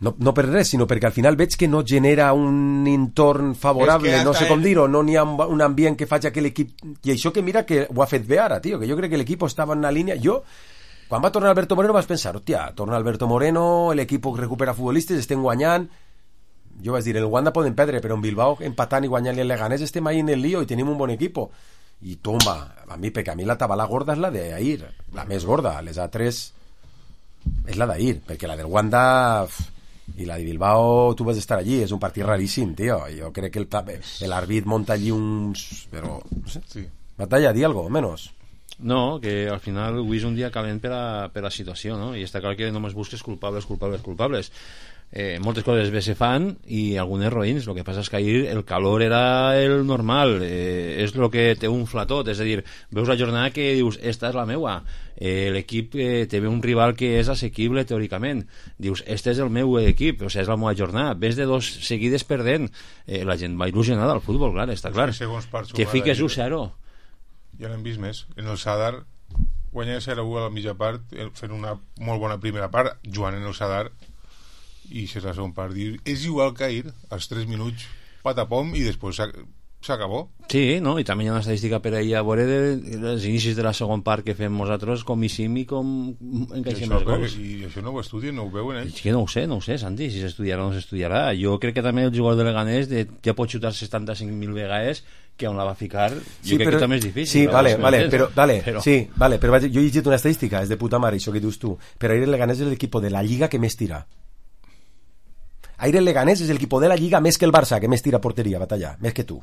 No, no per res, sinó perquè al final veig que no genera un entorn favorable, És que no sé hasta com el- dir-ho, no n'hi ha un, un ambient que faci que l'equip... I això que mira que ho ha fet bé ara, tio, que jo crec que l'equip estava en una línia... Jo, quan va tornar Alberto Moreno vas pensar, hòstia, torna Alberto Moreno, l'equip recupera futbolistes, estem guanyant... Jo vaig dir, el Wanda poden perdre, però en Bilbao empatant i guanyant-li el Leganés estem ahí en el lío i tenim un bon equip. i toma, a mi, perquè a mi la tabala gorda és la d'Ahir, la més gorda, les altres és la d'Ahir, perquè la del Wanda i la de Bilbao tu vas estar allí, és un partit raríssim, tio, jo crec que l'àrbit monta allí uns... però, no sé, sí. Batalla, di algo, menos. No, que al final avui és un dia calent per a, per a la situació, no? I està clar que només busques culpables, culpables, culpables. Eh, moltes coses bé se fan i algunes roïns. El que passa és que ahir el calor era el normal, eh, és el que té un flatot, és a dir, veus la jornada que dius, esta és la meua, eh, l'equip eh, té un rival que és assequible teòricament, dius, este és el meu equip, o sigui, és la meva jornada, ves de dos seguides perdent, eh, la gent va il·lusionada al futbol, clar, està clar, que fiques un zero. Ja l'hem vist més. En el Sadar guanyar zero a u a la mitja part, fent una molt bona primera part, jugant en el Sadar, i si és la segona part, és igual que ahir, als tres minuts, patapom, i després s'acabó. Sí, no? I també hi ha una estadística per ahir a veure dels inicis de la segona part que fem nosaltres, com ixim i com encaixem els gols. I això no ho estudien, no ho veuen ells? És que no ho sé, no ho sé, Santi, si s'estudiarà o no s'estudiarà. Jo crec que també el jugador de Leganés de, ja pot xutar setanta-cinc mil vegades, que on la va ficar, jo sí, crec però, que també és difícil. Sí, vale, vale, però, vale, però... sí, vale, però jo he llegit una estadística, és de puta mare, això que dius tu, però ahir el Leganés és l'equip de la Lliga que més tira. Ahir el Leganés és l'equip de la Lliga més que el Barça, que més tira porteria, batalla, més que tu.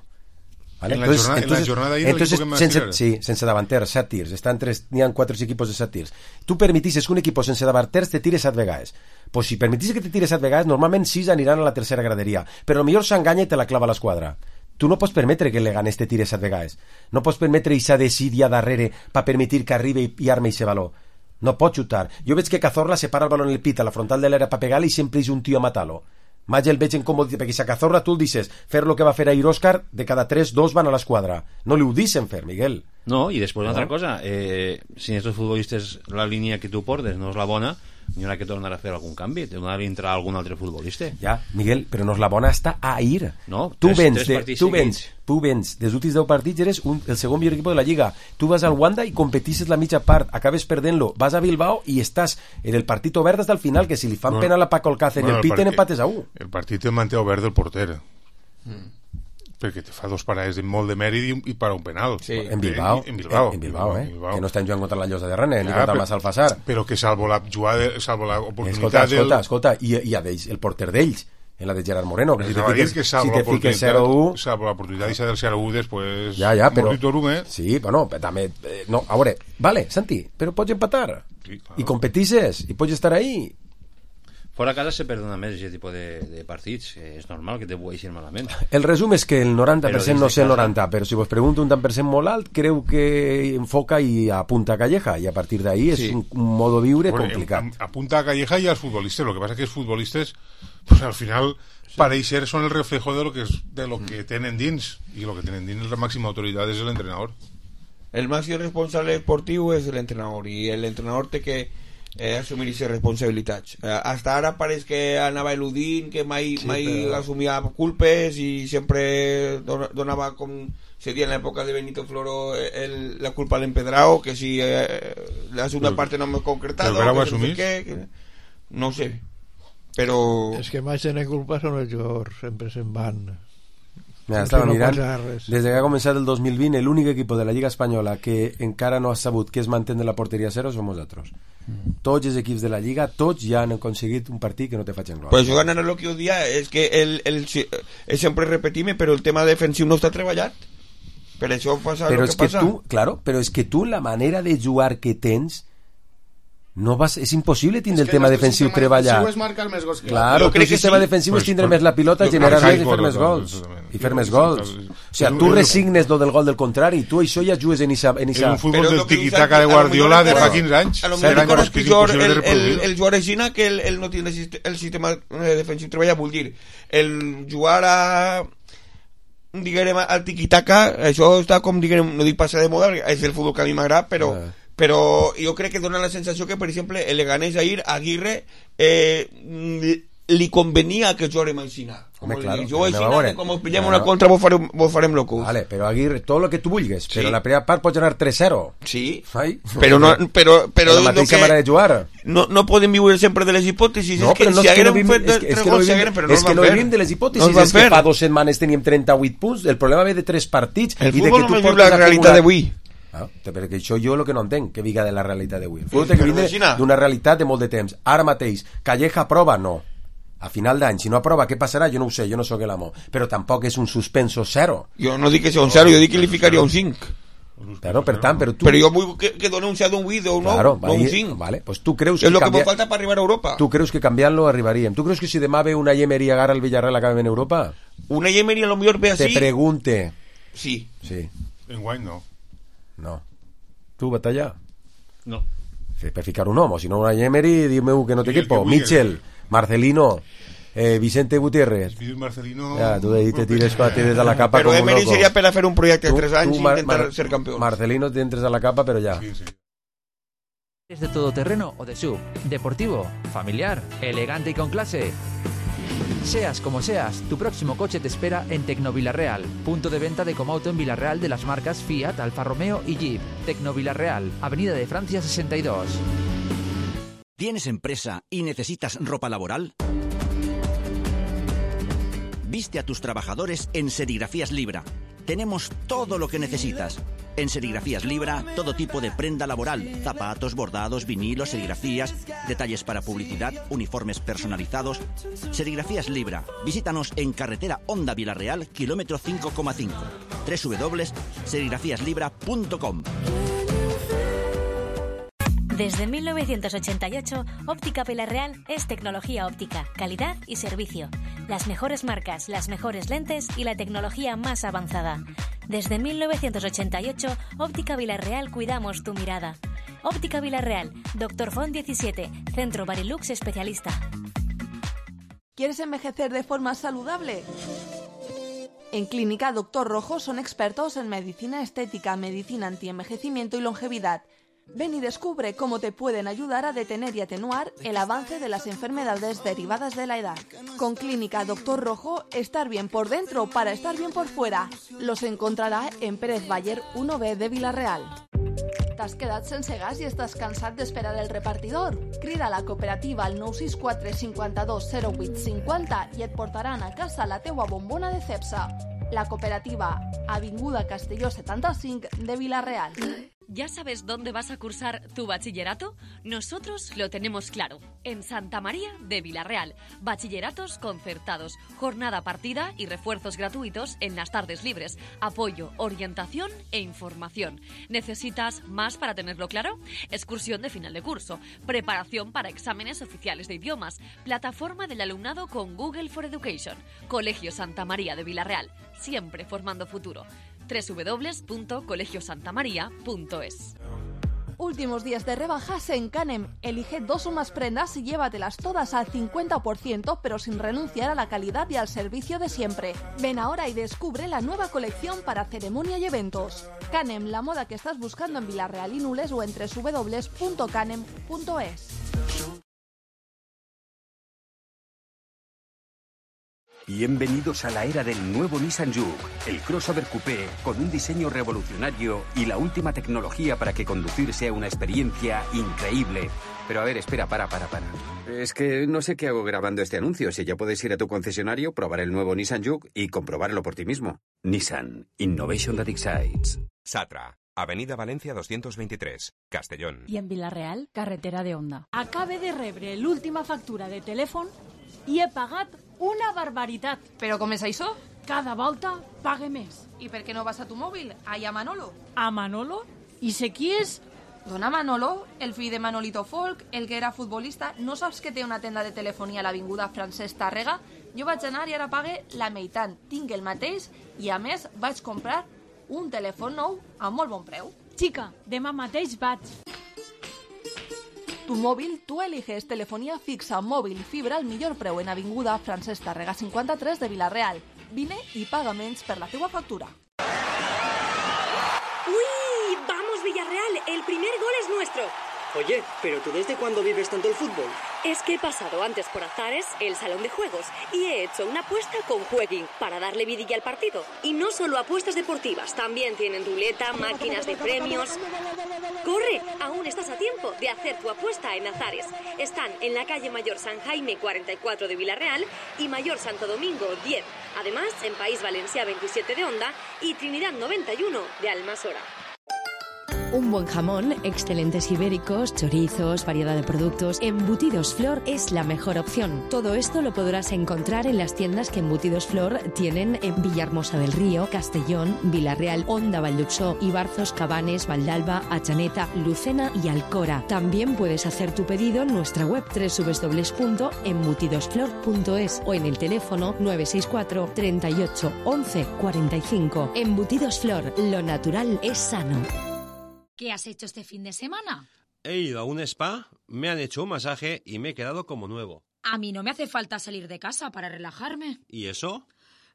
¿Vale? En, la entonces, jornada, entonces, en la jornada d'ahir entonces, l'equip que més sense, tira. sí, sense davanters, set tirs, estan tres, n'hi ha quatre equipos de set tirs. Tu permetisses que un equip sense davanters te tire set vegades. Pues si permetisses que te tire set vegades, normalment sis aniran a la tercera graderia, però millor s'enganya i te la clava a l'esquadra. Tu no pots permetre que el Leganés te tire set vegades. No pots permetre eixa desídia darrere per permetir que arribi i arme eixe valor. No pot xutar. Jo veig que Cazorla separa el balón en el pit a la frontal de l'era per pegar-li i sempre és un tio a matar-lo. Mai el veig incòmode, perquè si a Cazorla tu el dices fer lo que va fer ahir Òscar, de cada tres, dos van a l'esquadra. No li ho dicen fer, Miguel. No, i després una no? altra cosa, eh, si en aquests futbolistes la línia que tu portes no és la bona, n'hi haurà que tornar a fer algun canvi, t'haurà d'entrar algun altre futbolista. Ja, Miguel, però no és la bona està a ir. No, tu tres, vens, tres de, tu vens, tu vens, dels últims deu partits eres un, el segon millor equip de la Lliga. Tu vas al Wanda i competisses la mitja part, acabes perdent-lo, vas a Bilbao i estàs en el partit obert des del final, que si li fan bueno, penal a Paco Alcácer bueno, i el piten empates a u. El partit el manté obert del porter. Mm. Perquè te fa dos parades de molt de mèrit i, i para un penal. Sí. En Bilbao, en, en Bilbao, en Bilbao, eh? En Bilbao. Que no estan jugant contra la Llosa de Rennes, ja, ni contra el Massalfassar. Però que salvo la jugada, salvo l'oportunitat... Escolta, escolta, del... escolta, i, i a d'ells, el porter d'ells, en la de Gerard Moreno, que si te fiques, que si te fiques zero a u... Salvo l'oportunitat del zero a u, després... Ja, ja, però... Torum, eh? Sí, però no, també... Eh, no, a veure, vale, Santi, però pots empatar. Sí, claro. I competisses, i pots estar ahí... Fora a casa se perdona més aquest tipus de, de partits, és normal que te vueixin malament. El resum és que el noranta per cent no sé el noranta, però si vos pregunto un tant per cent molt alt, creu que enfoca i apunta a Calleja, i a partir d'ahí és sí. un, un modo viure bueno, complicat. Apunta a Calleja i als futbolistes, lo que pasa es que els futbolistes pues, al final sí. pareix ser son el reflejo de lo que, es, de lo que tenen dins, i lo que tenen dins la màxima autoritat és l'entrenador. El màxim responsable esportiu és l'entrenador, i l'entrenador té que Eh, assumir aquestes responsabilitats. Eh, hasta ara pareix que anava eludint, que mai, sí, mai però... assumia culpes i sempre don donava, com se dia en l'època de Benito Floro, el, la culpa a l'empedrao, que si eh, la segunda però, parte no m'he concretat, que no sé què, que, no sé, però... És que mai tenen culpa són els jugadors, sempre se'n van... Mira, estava no mirant, des que ha començat el dos mil vint, l'únic equip de la Lliga Espanyola que encara no ha sabut que es mantén de la porteria zero som nosaltres. Mm. Tots els equips de la Lliga, tots ja han aconseguit un partit que no te facin glòria. Pues jo ganar el que ho dia és que el, el, el sempre repetim, però el tema defensiu no està treballat. Per això passa però el que, que passa. Tu, claro, però és que tu la manera de jugar que tens no vas, és impossible tindre el tema defensiu treballat. És marcar més gols que claro, el sistema sí. defensiu pues, és tindre pues, més la pilota, generar més i fer més gols i fer més gols. O sigui, tu resignes lo del gol del contrari, tu això ja jugues en esa... En un futbol del tiquitaca de Guardiola de fa quinze anys. A lo millor és pitjor el, el, el jugar aixina que el, el no tiene el sistema defensiu treballat, vull dir, el jugar a diguem al tiquitaca, això està com diguem, no dic passar de moda, és el futbol que a mi m'agrada, però però jo crec que dona la sensació que, per exemple, el Leganés ahir, Aguirre, eh, li convenia que jugui Maixina. Home, claro, jo anem a Aixina, veure. que com us pillem Anem a- una contra vos farem, vos farem locos. Vale, però Aguirre, tot el que tu vulguis, Sí. però la primera part pots anar tres zero. Sí, Ai? però no, però, però la no, mateixa que, manera de jugar. no, no podem viure sempre de les hipòtesis. No, és que però no si és que no haguérem vivim, fet és que, és tres que no gols, vivim, haguérem, però no és els que van no fer. vivim de les No hipòtesis, els van és que fer. fa dues setmanes teníem trenta-vuit punts, el problema ve de tres partits El i de futbol que tu només viu portes la realitat acumulat- d'avui. Ah, perquè això jo el que no entenc, que viga de la realitat d'avui. El futbol té que Però vindre Maxina. d'una realitat de molt de temps. Ara mateix, Calleja aprova? No. A final d'any, si no aprova, què passarà? Jo no ho sé, jo no sóc l'amo. Però tampoc és un suspenso zero. Jo no dic que sigui un zero, jo dic que li ficaria un cinc. Però, per tant, però tu... Però jo vull que, que doni un zero, un vuit o un nou, Claro, no un ahí- cinc. vale, pues tu creus És que el que canvia- me falta per arribar a Europa. Tu creus que canviant-lo arribaríem? Tu creus que si demà ve una Emery agarra el Villarreal acabem en Europa? Una Emery a lo millor ve Te así. pregunte. Sí. Sí, En guany no. no. Tu, Batalla? No. Sí, per ficar un home, si no una Emery, dime que no té Sí, el equipo. que vulgui. Michel, Marcelino, eh, Vicente Gutiérrez. Fides Marcelino... Ja, tu ahí te tires, te tires a la capa Però com un Emery loco. seria per a fer un projecte de Tu- tres anys tu, i Mar- intentar Mar- ser campió. Marcelino te entres a la capa, pero ya. Sí, sí. ¿Es de todoterreno o de sub? ¿Deportivo? ¿Familiar? ¿Elegante y con clase? Seas como seas, tu próximo coche te espera en Tecnovilarreal, punto de venta de Comauto en Villarreal de las marcas Fiat, Alfa Romeo y Jeep. Tecnovilarreal, Avenida de Francia sesenta y dos. ¿Tienes empresa y necesitas ropa laboral? Viste a tus trabajadores en Serigrafías Libra. Tenemos todo lo que necesitas. En Serigrafías Libra, todo tipo de prenda laboral, zapatos, bordados, vinilos, serigrafías, detalles para publicidad, uniformes personalizados. Serigrafías Libra. Visítanos en carretera Honda Villarreal, kilómetro cinco coma cinco. doble u doble u doble u punto serigrafías libra punto com. Desde mil novecientos ochenta y ocho, Óptica Villarreal es tecnología óptica, calidad y servicio. Las mejores marcas, las mejores lentes y la tecnología más avanzada. Desde mil novecientos ochenta y ocho, Óptica Villarreal cuidamos tu mirada. Óptica Villarreal, Doctor Font diecisiete, Centro Barilux especialista. ¿Quieres envejecer de forma saludable? En Clínica Doctor Rojo son expertos en medicina estética, medicina antienvejecimiento y longevidad. Ven y descubre cómo te pueden ayudar a detener y atenuar el avance de las enfermedades derivadas de la edad. Con Clínica Doctor Rojo, estar bien por dentro para estar bien por fuera. Los encontrarà en Pérez Baller uno B de Vila-real. T'has quedat sense gas i estàs cansat d'esperar el repartidor? Crida a la cooperativa al nou sis quatre cinquanta-dos zero vuit cinquanta i et portaran a casa la teua bombona de Cepsa. La cooperativa, Avinguda Castelló setanta-cinc de Vila-real. ¿Ya sabes dónde vas a cursar tu bachillerato? Nosotros lo tenemos claro. En Santa María de Villarreal. Bachilleratos concertados, jornada partida y refuerzos gratuitos en las tardes libres. Apoyo, orientación e información. ¿Necesitas más para tenerlo claro? Excursión de final de curso. Preparación para exámenes oficiales de idiomas. Plataforma del alumnado con Google for Education. Colegio Santa María de Villarreal. Siempre formando futuro. doble u doble u doble u punto colegio santa maría punto es. Últimos días de rebajas en Canem. Elige dos o más prendas y llévatelas todas al cincuenta por ciento, pero sin renunciar a la calidad y al servicio de siempre. Ven ahora y descubre la nueva colección para ceremonia y eventos. Canem, la moda que estás buscando en Villarreal y Nules o en doble u doble u doble u punto canem punto es. Bienvenidos a la era del nuevo Nissan Juke, el crossover coupé con un diseño revolucionario y la última tecnología para que conducir sea una experiencia increíble. Pero a ver, espera, para, para, para. Es que no sé qué hago grabando este anuncio. Si ya puedes ir a tu concesionario, probar el nuevo Nissan Juke y comprobarlo por ti mismo. Nissan, Innovation that excites. Satra, Avenida Valencia doscientos veintitrés, Castellón. I en Vila-real, carretera de Onda. Acabe de rebre l'última factura de telèfon i he pagat una barbaritat. Però com és això? Cada volta pague més. I per què no vas a tu mòbil? Allà a Manolo. A Manolo? I sé qui és? Dona Manolo, el fill de Manolito Folk, el que era futbolista. No saps que té una tenda de telefonia a l'avinguda Francesc Tàrrega? Jo vaig anar i ara pague la meitat. Tinc el mateix i a més vaig comprar un telèfon nou a molt bon preu. Xica, demà mateix vaig. Tu móvil, tú eliges telefonía fixa, móvil, fibra al millor preu en Avinguda Francesc Tàrrega cinquanta-tres de Vila-real. Vine y paga menys per la teua factura. ¡Uy! ¡Vamos, Villarreal! ¡El primer gol es nuestro! Oye, ¿pero tú desde cuándo vives tanto el fútbol? Es que he pasado antes por Azares, el salón de juegos, y he hecho una apuesta con Jueguin para darle vidilla al partido. Y no solo apuestas deportivas, también tienen ruleta, máquinas de premios. ¡Corre! Aún estás a tiempo de hacer tu apuesta en Azares. Están en la calle Mayor San Jaime cuarenta y cuatro de Villarreal y Mayor Santo Domingo diez. Además, en País Valencià veintisiete de Onda y Trinidad noventa y uno de Almasora. Un buen jamón, excelentes ibéricos, chorizos, variedad de productos. Embutidos Flor es la mejor opción. Todo esto lo podrás encontrar en las tiendas que Embutidos Flor tienen en Villahermosa del Río, Castellón, Villarreal, Onda, Valldupsó, Ibarzos, Cabanes, Valdalba, Atxaneta, Lucena y Alcora. También puedes hacer tu pedido en nuestra web doble u doble u doble u punto embutidosflor punto es o en el teléfono nueve seis cuatro, treinta y ocho, once, cuarenta y cinco. Embutidos Flor, lo natural es sano. ¿Qué has hecho este fin de semana? He ido a un spa, me han hecho un masaje y me he quedado como nuevo. A mí no me hace falta salir de casa para relajarme. ¿Y eso?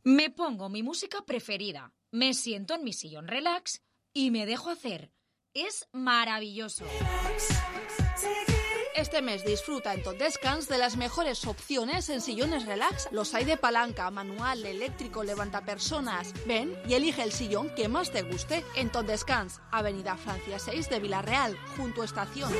Me pongo mi música preferida, me siento en mi sillón relax y me dejo hacer. Es maravilloso. Este mes disfruta en Tot Descans de las mejores opciones en sillones relax. Los hay de palanca, manual, eléctrico, levantapersonas. Ven y elige el sillón que más te guste en Tot Descans, Avenida Francia seis de Villarreal, junto a Estación.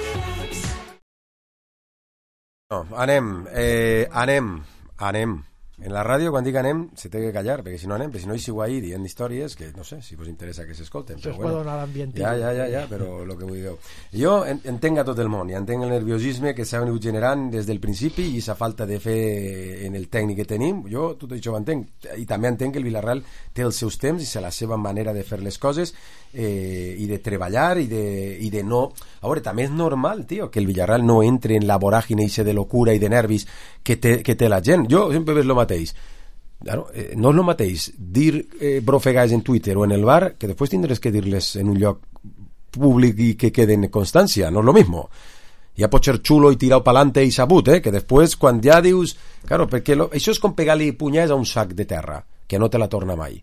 No, anem, eh, anem, anem. En la ràdio, quan dic anem, se té que callar, perquè si no anem, perquè si no hi sigo ahir dient històries que, no sé, si us interessa que s'escolten. Això es bueno, pot donar l'ambient. Ja, ja, ja, ja, però el que vull dir. Jo en, entenc a tot el món, i entenc el nerviosisme que s'ha venut generant des del principi i sa falta de fer en el tècnic que tenim. Jo tot això ho entenc. I també entenc que el Villarreal té els seus temps i la seva manera de fer les coses eh, i de treballar i de, i de no... A veure, també és normal, tio, que el Villarreal no entre en la voràgine de locura i de nervis que té, que té la gent. Jo sempre veig el mateix. Claro, eh, no és el mateix dir eh, brofegades en Twitter o en el bar que després tindràs que dir-les en un lloc públic i que quede en constància. No és lo mismo. Ja pot ser xulo i tirau pa'lante i sabut, eh? Que després quan ja dius... Claro, perquè lo... això és com pegar-li punyals a un sac de terra, que no te la torna mai.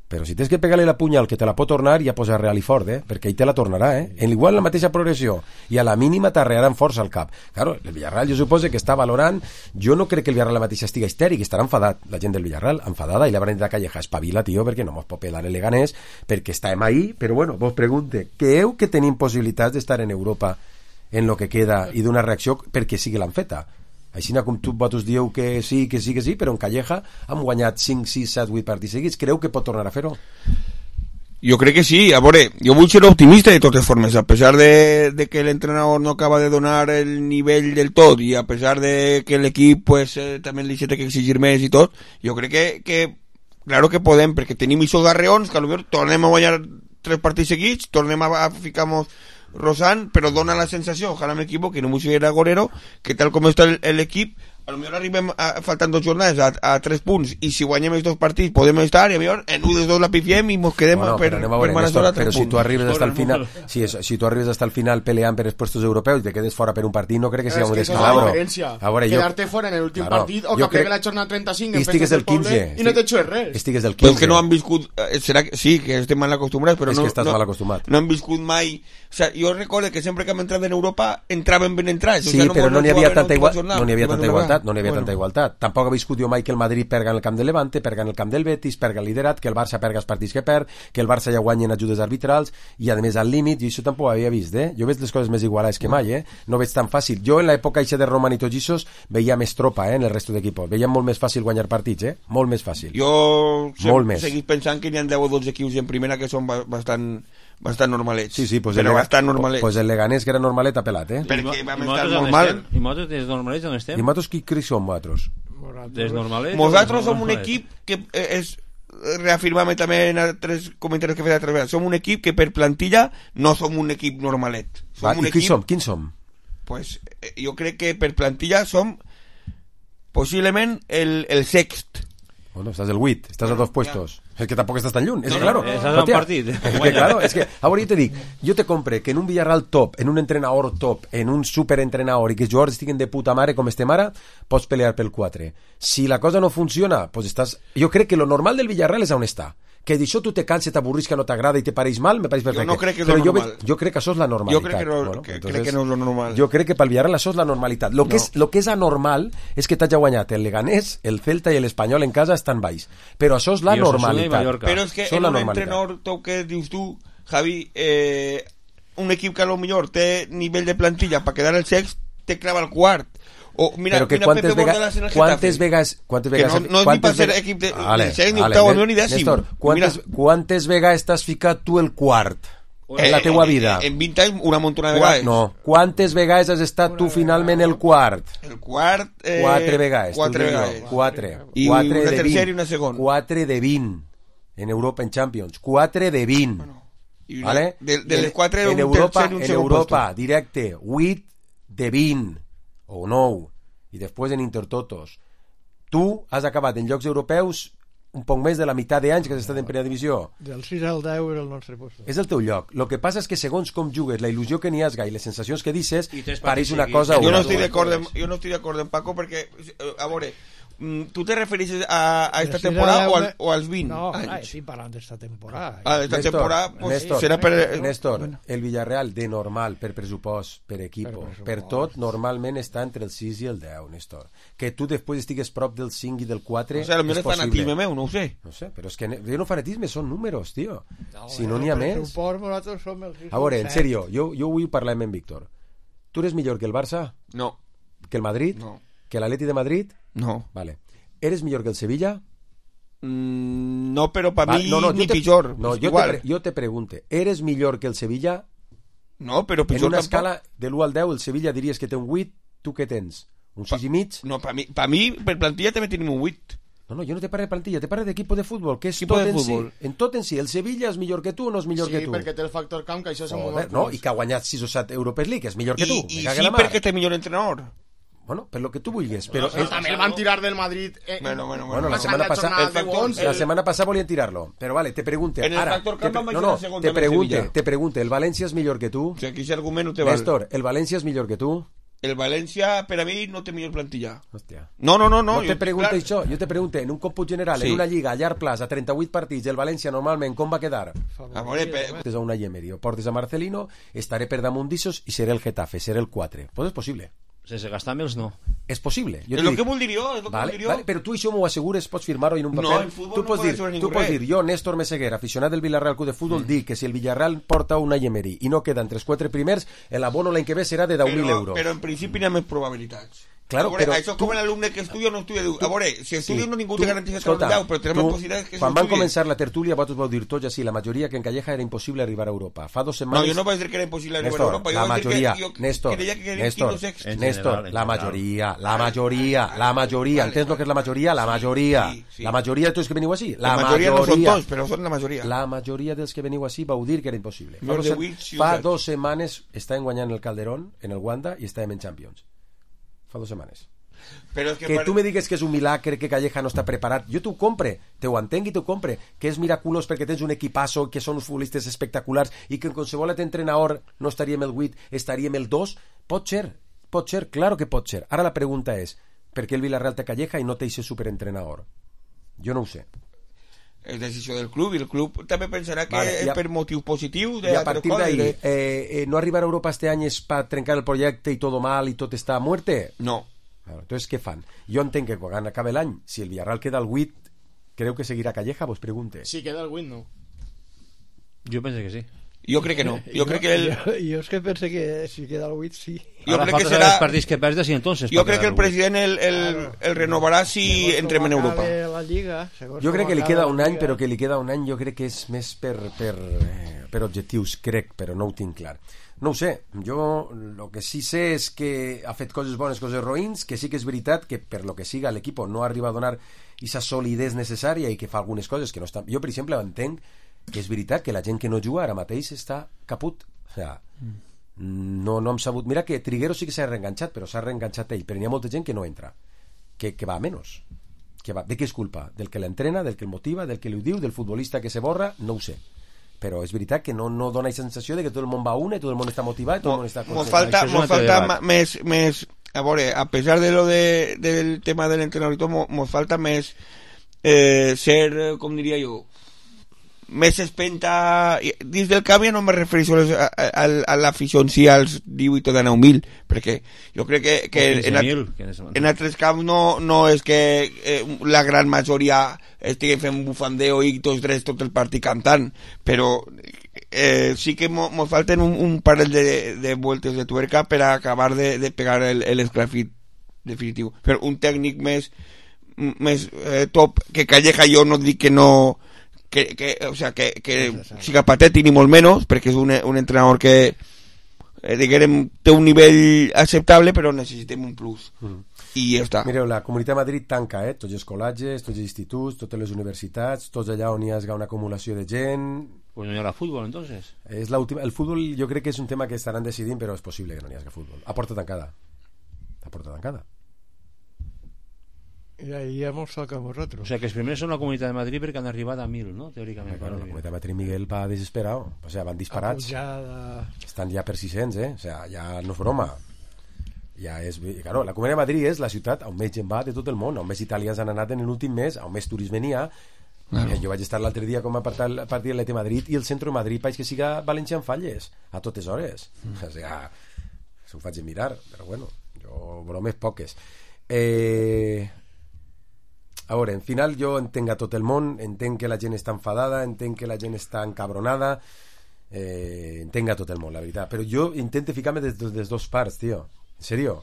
Però si tens que pegar-li la punyal que te la pot tornar, ja posa real i fort, eh? Perquè ell te la tornarà, eh? En igual la mateixa progressió i a la mínima t'arrearà amb força al cap. Claro, el Villarreal jo suposo que està valorant, jo no crec que el Villarreal la mateixa estiga histèric, estarà enfadat la gent del Villarreal, enfadada, i la Branita Calleja espavila, tio, perquè no mos pot pelar el Leganés, perquè estàvem ahí, però bueno, vos pregunte, creu que tenim possibilitats d'estar en Europa en lo que queda i d'una reacció perquè sigui l'han feta? Així com tu vosaltres dieu que sí, que sí, que sí, però en Calleja han guanyat cinc, sis, set, vuit partits seguits. Creu que pot tornar a fer-ho? Jo crec que sí. A veure, jo vull ser optimista de totes formes, a pesar de, de que l'entrenador no acaba de donar el nivell del tot i a pesar de que l'equip pues, eh, també li té que exigir més i tot, jo crec que, que claro que podem, perquè tenim aquests garreons que potser tornem a guanyar tres partits seguits, tornem a, a ficar-nos Rosan, però dona la sensació, ojalà m'equivoqui, no m'ho sigui Agorero, que tal com està l'equip, a lo millor arribem a, faltant dos jornades a, a tres punts i si guanyem els dos partits podem estar i a millor en un dels dos la pifiem i mos quedem bueno, per, però, per Néstor, però si tu arribes hasta el final si, es, si tu arribes hasta el final peleant per els puestos europeus i te quedes fora per un partit no crec que sigui un descalabro. A veure, quedarte fora en l'últim claro, partit o que pegue la jornada trenta-cinc i estigues el quinze i no t'he res. Estigues el quinze. Però que no han viscut, serà que, sí, que estem mal acostumbrats, però és no, que estàs no, mal acostumat. No han viscut mai. O sea, jo recordo que sempre que hem entrat en Europa entraven ben entrats. Sí, o sea, no però no n'hi havia tanta igualtat, no n'hi havia tanta igualtat, no n'hi havia bueno. tanta igualtat. Tampoc ha viscut jo mai que el Madrid perga en el camp de Levante, perga en el camp del Betis, perga el liderat, que el Barça perga els partits que perd, que el Barça ja guanya en ajudes arbitrals i a més al límit, i això tampoc ho havia vist, eh? Jo veig les coses més igualades que mai, eh? No veig tan fàcil. Jo en l'època eixa de Roman i tots ixos veia més tropa, eh? En el resto d'equipos. Veia molt més fàcil guanyar partits, eh? Molt més fàcil. Jo molt seguís pensant que n'hi ha deu o dotze equips en primera que són bastant bastant normalets. Sí, sí, pues però el, bastant normalets. Pues el Leganés que era normalet ha pelat, eh? Perquè vam I estar molt mal. I nosaltres des normalets on estem? I nosaltres qui creix som, vosaltres? Des normalets? Nosaltres som un equip que és reafirmar-me també en altres comentaris que he fet altres vegades. Som un equip que per plantilla no som un equip normalet. Som Va, un I equip, qui som? Quins som? Pues jo crec que per plantilla som possiblement el, el sext. Bueno, estàs el vuit, estàs a dos puestos. És que tampoc estàs tan lluny. És no, que, claro, no, estàs un partit. És que, claro, és que, a veure, jo te dic, jo te compre que en un Villarreal top, en un entrenador top, en un superentrenador i que els jugadors estiguen de puta mare com estem ara, pots pelear pel quatre. Si la cosa no funciona, pues estàs... Jo crec que lo normal del Villarreal és on està. Que d'això tu te canses, t'avorris, que no t'agrada i te pareix mal, me pareix perfecte. Jo no crec que és Però lo jo, normal. ve- jo crec que això és la normalitat. Jo crec que no- bueno, que- entonces, crec que no és lo normal. Jo crec que pel Villarreal això és la normalitat. Lo que, No. és, lo que és anormal és que t'hagi guanyat el Leganés, el Celta i l'Espanyol en casa estan baix. Però això és la I Osasuna i normalitat. Mallorca. Però és que Això és en la un normalitat. entrenador, tu que dius tu, Javi, eh, un equip que a lo millor té nivell de plantilla per quedar el sext, te clava el quart. O mira, Però que mira quantes, Pepe vega, Bordalas en el quantes Getafe. vegades quantes Que vegades no- no és ni quantes per ser vega- equip de- Vale, del sext, ni vale, octavo, Néstor, ni dècim. Néstor, quantes, Mira. quantes vegades t'has ficat tu el quart en la Eh, teua en- vida? En vint anys, una muntona de Qua- vegades. No, quantes vegades has estat tu finalment el quart? El quart... Eh, Quatre vegades. Quatre t'ho dic jo. vegades. Quatre. I Quatre una de tercera vint. i una segona. Quatre de vint. En Europa, en Champions. Quatre de vint. I una- ¿Vale? de- de En- les quatre, en un Europa, tercer i un en segon Europa, puesto. directe, vuit de vint. O nou. I després en Intertotos. Tu has acabat en llocs europeus un poc més de la meitat d'anys que has estat en primera divisió. Del sis al deu era el nostre post. És el teu lloc. El que passa és que segons com jugues, la il·lusió que n'hi has i les sensacions que dices, I tres pareix partits una seguits. cosa o Jo no una estic altra. d'acord amb, jo no estic d'acord amb Paco perquè, eh, a veure, mm, tu te refereixes a, a esta Del sis al temporada deu o, al, me- o als vint No, anys? clar, estic parlant d'esta temporada. Ah, esta Néstor, temporada pues, Néstor, serà per... Néstor, Bueno. el Villarreal de normal, per pressupost, per equip, Per per, pressupost. tot, normalment està entre el sis i el deu, Néstor. Que tu després estigues prop del cinc i del quatre O sigui, potser és és fanatisme possible. meu, no ho sé. No sé, però és que ne- jo no fanatisme, són números, tio. No, Si no n'hi ha més... Suport, nosaltres som el sis A veure, en set. sèrio, jo, jo vull parlar amb en Víctor. Tu eres millor que el Barça? No. Que el Madrid? No. Que l'Atleti de Madrid? No. Vale. ¿Eres millor que el Sevilla? Mm, no, però per Va, mi no, no, ni jo te, pitjor. no, és jo, te, igual. pre- jo te pregunte, ¿eres millor que el Sevilla? No, però En pitjor una tampoc. escala de l'u al deu, el Sevilla diries que té un vuit, tu què tens? Un sis i mig? No, per mi, per mi, per plantilla també tenim un vuit. No, no, jo no te parlo de plantilla, te parlo d'equip de futbol, que és Equipo tot de en futbol. si. En tot en si. El Sevilla és millor que tu o no és millor Sí, que tu? perquè té el factor camp, que això se mou Joder, molt no, pols. i que ha guanyat sis o set Europees League, és millor que tu. I, me i cague sí, la mar. perquè té millor entrenador. Bueno, per lo que tu vulguis, però... Però també el van tirar del Madrid. Eh, Bueno, bueno, Bueno, la passant setmana passada, jornada el de factor, onze. la setmana passada volien tirarlo, però vale, te pregunte, En el ara, factor te, camp pre- van no, baixar no, el segon te també el pregunte, Sevilla. te pregunte, el València és millor que tu? O sigui, aquí ese argument no te val. Néstor, el València és millor que tu? El València, per a mi, no té millor plantilla. Hòstia. No, no, no. No, no te jo- pregunto clar, això, jo te pregunto, en un còmput general, Sí. en una lliga a llarg plaç, a trenta-vuit partits, el València normalment com va quedar? A veure, pe- Portes a una Emery o portes a Marcelino, estaré per damunt d'issos i seré el Getafe, seré el quatre. Pues és possible. Sense gastar més, no. És possible. Jo és te el dic, que vol dir jo, és el que Vale, vol dir jo. vale, però tu això m'ho assegures, pots firmar-ho en un No, paper. en futbol tu no pots puede dir, ser tu ningú pots res. dir, jo, Néstor Meseguer, aficionat del Villarreal Club de Futbol, mm. dic que si el Villarreal porta una Emery i no queda entre els quatre primers, l'abono l'any que ve serà de deu mil Però, euros. però en principi n'hi ha més probabilitats. Claro, a veure, però això és tu- com l'alumne que estudia o no estudia. Diu, a veure, si estudia Sí. no ningú Tu- te garantitza que escolta, no deu, però té la tu, possibilitat que quan van s'estudie. començar la tertúlia vosaltres vau dir tots així, la majoria que en Calleja era impossible arribar a Europa. Fa dos No, setmanes... jo no vaig dir que era impossible arribar Néstor, a Europa. Jo la vaig dir majoria, que, jo Néstor, creia que quedaria Néstor, quinto sexto. En Néstor, general, en la general. majoria, la majoria, la majoria, Vale, entens lo que és la majoria? La majoria, sí, sí. la majoria de tots que veniu així, La majoria no són tots, però són la majoria. La majoria dels que veniu així vau dir que era impossible. Fa, Los dos, de se- Wix, sí, fa ho dos setmanes estàvem guanyant el Calderón, en el Wanda, i estàvem en Champions. Fa dos setmanes. Però és que, Que pare- tu me digues que és un milagre, que Calleja no està preparat, jo t'ho compre, te ho entenc i t'ho compre, que és miraculós perquè tens un equipasso, que són uns futbolistes espectaculars i que en qualsevol altre entrenador no estaríem el vuit, estaríem el dos, pot ser, pot ser, claro que pot ser. Ara la pregunta és, per què el Villarreal té Calleja i no té aquest superentrenador? Jo no ho sé. és decisió del club i el club també pensarà que Vale, és i a- per motius positius de I a altres partir coses, d'ahí, de- eh, eh, no arribar a Europa este any és para trencar el projecte i todo mal i tot està a muerte? No. Claro, entonces, què fan? Jo entenc que quan acabe l'any, si el Villarreal queda al vuit, creu que seguirà Calleja? Vos pregunte. Si queda el win, no. Jo penso que sí. Jo crec que no. Jo crec que el... Jo, jo és que pense que si queda el vuit, sí. Jo Ara crec que falta saber serà... els partits que perdes i entonces... Jo per crec que el quedar-ho. president el, el, el renovarà si entrem en Europa. La Lliga, segons Jo com crec que li acabe queda la un any, Lliga. però que li queda un any jo crec que és més per, per, eh, per objectius, crec, però no ho tinc clar. No ho sé, jo el que sí sé és que ha fet coses bones, coses roïns, que sí que és veritat que per lo que siga l'equip no arriba a donar aquesta solidesa necessària i que fa algunes coses que no estan... Jo, per exemple, entenc que és veritat que la gent que no juga ara mateix està caput. O sea, no, no hem sabut... Mira que Triguero sí que s'ha reenganxat, però s'ha reenganxat ell, però n'hi ha molta gent que no entra, que, que va a menos. Que va, ¿de què és culpa? Del que l'entrena, del que el motiva, del que li ho diu, del futbolista que se borra? No ho sé. Però és veritat que no, no dona la sensació de que tot el món va a una i tot el món està motivat i tot el món està Mos concentrat. falta, Això és un mos altre falta debat. ma- més, més... A veure, a pesar de lo de, del tema del entrenador i tot, mo- mos falta més eh, ser, eh, com diria jo, més espenta dins del camp. Ja no me refereixo a, a, a l'afició en si, als divuit o dinou mil, perquè jo crec que, que en, at, en altres camps no, no és que eh, la gran majoria estiguen fent bufandeo i tots drets tot el partit cantant, però eh, sí que mos mo falten un, un parell de, de vueltes de tuerca per a acabar de, de pegar l'esclafit definitiu. Però un tècnic més més eh, top que Calleja, jo no dic que no que, que, o sea, que, que siga patètic ni molt menys, perquè és un, un entrenador que eh, diguem, té un nivell acceptable, però necessitem un plus mm. i ja està. Mireu, la Comunitat de Madrid tanca, eh? Tots els col·legis, tots els instituts, totes les universitats, tots allà on hi ha una acumulació de gent. Pues no hi haurà futbol, entonces. És el futbol jo crec que és un tema que estaran decidint, però és possible que no hi hagi futbol. A porta tancada. A porta tancada. I ahí hemos sacado vosotros. O sea, que els primers són la Comunitat de Madrid perquè han arribat a mil, no? Teòricament. Bueno, la Comunitat de Madrid, Miguel, va desesperado. O sea, van disparats. Apujada. Estan ja per sis-cents, eh? O sea, ja no és broma. Ja és... Claro, la Comunitat de Madrid és la ciutat on més gent va de tot el món, on més italians han anat en l'últim mes, on més turisme n'hi ha. Claro. Jo vaig estar l'altre dia com a partit de l'E T Madrid i el centre de Madrid país que siga València en falles a totes hores. Mm. O sea, s'ho faig mirar, però bueno, jo bromes poques. Eh... A veure, en final jo entenc a tot el món, entenc que la gent està enfadada, entenc que la gent està encabronada, eh, entenc a tot el món, la veritat, però jo intento ficar-me des de les dues parts, tio, en serio.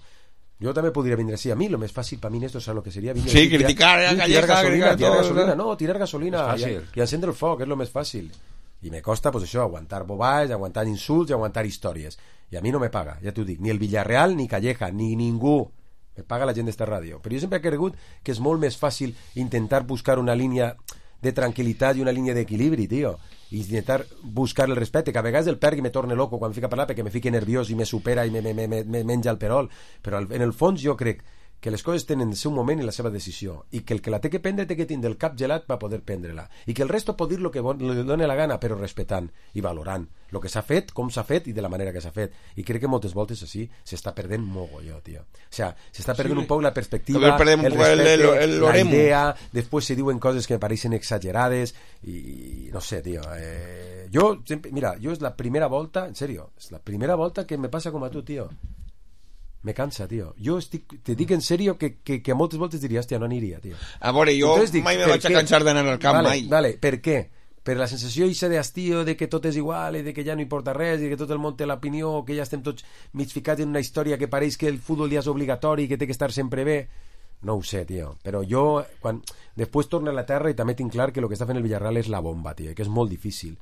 Yo también podría venir así. A mí lo más fácil para mí esto es lo que sería venir sí, criticar, tirar, Calleja, tirar gasolina, criticar tirar todo, gasolina, ¿no? no, tirar gasolina y, y encendre el foc, es lo más fácil. Y me costa, pues eso, aguantar bobades, aguantar insults y aguantar historias. Y a mí no me paga, ya te ho dic, ni el Villarreal, ni Calleja, ni ningú. Me paga la gent d'esta ràdio. Però jo sempre he cregut que és molt més fàcil intentar buscar una línia de tranquil·litat i una línia d'equilibri, tio. I intentar buscar el respecte, que a vegades el perc i me torne loco quan fica a parlar perquè me fique nerviós i me supera i me, me, me, me menja el perol. Però en el fons jo crec que les coses tenen el seu moment i la seva decisió, i que el que la té que prendre té que tindre el cap gelat per poder prendre-la, i que el resto pot dir el que li doni la gana, però respectant i valorant el que s'ha fet, com s'ha fet i de la manera que s'ha fet. I crec que moltes voltes així s'està perdent mogolló, tio. O sea, s'està perdent sí, un poc la perspectiva, el respecte, el, el, el, la idea, després se diuen coses que me pareixen exagerades i no sé, tio. Eh, jo, sempre, mira, jo és la primera volta, en serio, és la primera volta que me passa com a tu, tio. Me cansa, tio. Jo estic, te dic en serio que, que, que a moltes voltes diria, hòstia, no aniria, tio. A veure, jo dic, mai me vaig a cansar d'anar al camp, vale, mai. Vale, per què? Per la sensació ixa d'estiu, de que tot és igual i de que ja no importa res i que tot el món té l'opinió, que ja estem tots mig ficats en una història que pareix que el futbol ja és obligatori i que té que estar sempre bé. No ho sé, tio. Però jo, quan després torno a la terra i també tinc clar que el que està fent el Villarreal és la bomba, tio, que és molt difícil.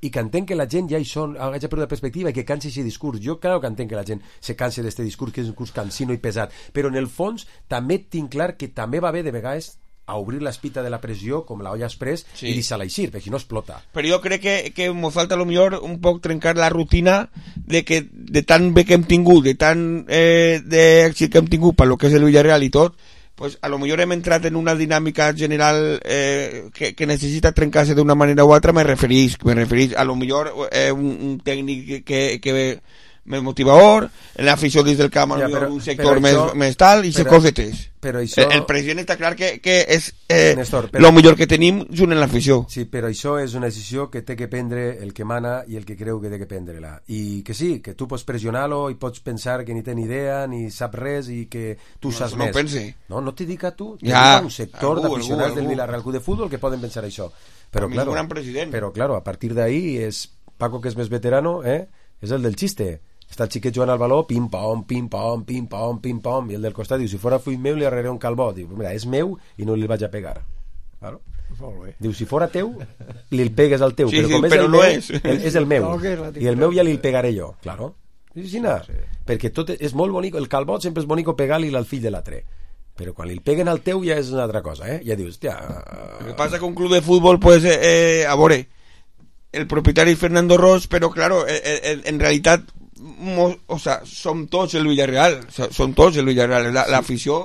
I que entenc que la gent ja hi són, hagi perdut la perspectiva i que cansi aquest discurs. Jo claro que entenc que la gent se canse d'aquest discurs, que és un discurs cansino i pesat, però en el fons també tinc clar que també va bé de vegades a obrir l'espita de la pressió com la olla express sí. i deixar-la eixir, perquè si no explota. Però jo crec que, que m'ho falta a lo millor un poc trencar la rutina de que de tan bé que hem tingut, de tan eh, d'èxit que hem tingut per lo que és el Villarreal i tot, pues a lo millor hem entrat en una dinàmica general eh, que, que necessita trencar-se d'una manera o altra. Me referís, me referís a lo millor eh, un, un tècnic que, que més motivador, en l'afició dins del camp ja, però, un sector més, això, més tal i se cosetes. Però això... el, el president està clar que, que és eh, Néstor, però... lo millor que tenim junt en l'afició. Sí, però això és una decisió que té que prendre el que mana i el que creu que té que prendre-la. I que sí, que tu pots pressionar-lo i pots pensar que ni té ni idea, ni sap res i que tu no, saps no més. Pense. No, no t'hi dic a tu, t'hi ja, dic a un sector d'aficionats del Villarreal Club de Futbol que poden pensar això. Però, a claro, un gran president. Però, claro, a partir d'ahí és Paco, que és més veterano, eh? És el del xiste. Està el xiquet jugant al baló, pim-pom, pim-pom, pim-pom, pim-pom, i el del costat diu, si fora fill meu li arreré un calbó. Diu, mira, és meu i no li vaig a pegar. Claro. Diu, si fora teu, li el pegues al teu, sí, però com sí, és però el no meu, és. El, és el meu, no, i el meu ja li el pegaré jo, claro. Sí, sí, no. Sí. Perquè tot és molt bonic, el calbot sempre és bonic pegar-li al fill de l'altre. Però quan li el peguen al teu ja és una altra cosa, eh? Ja dius, hòstia... El que passa que un club de futbol, pues, eh, a veure, el propietari Fernando Ros, però, claro, en, en realitat o sea, som tots el Villarreal, som tots el Villarreal, la, sí. L'afició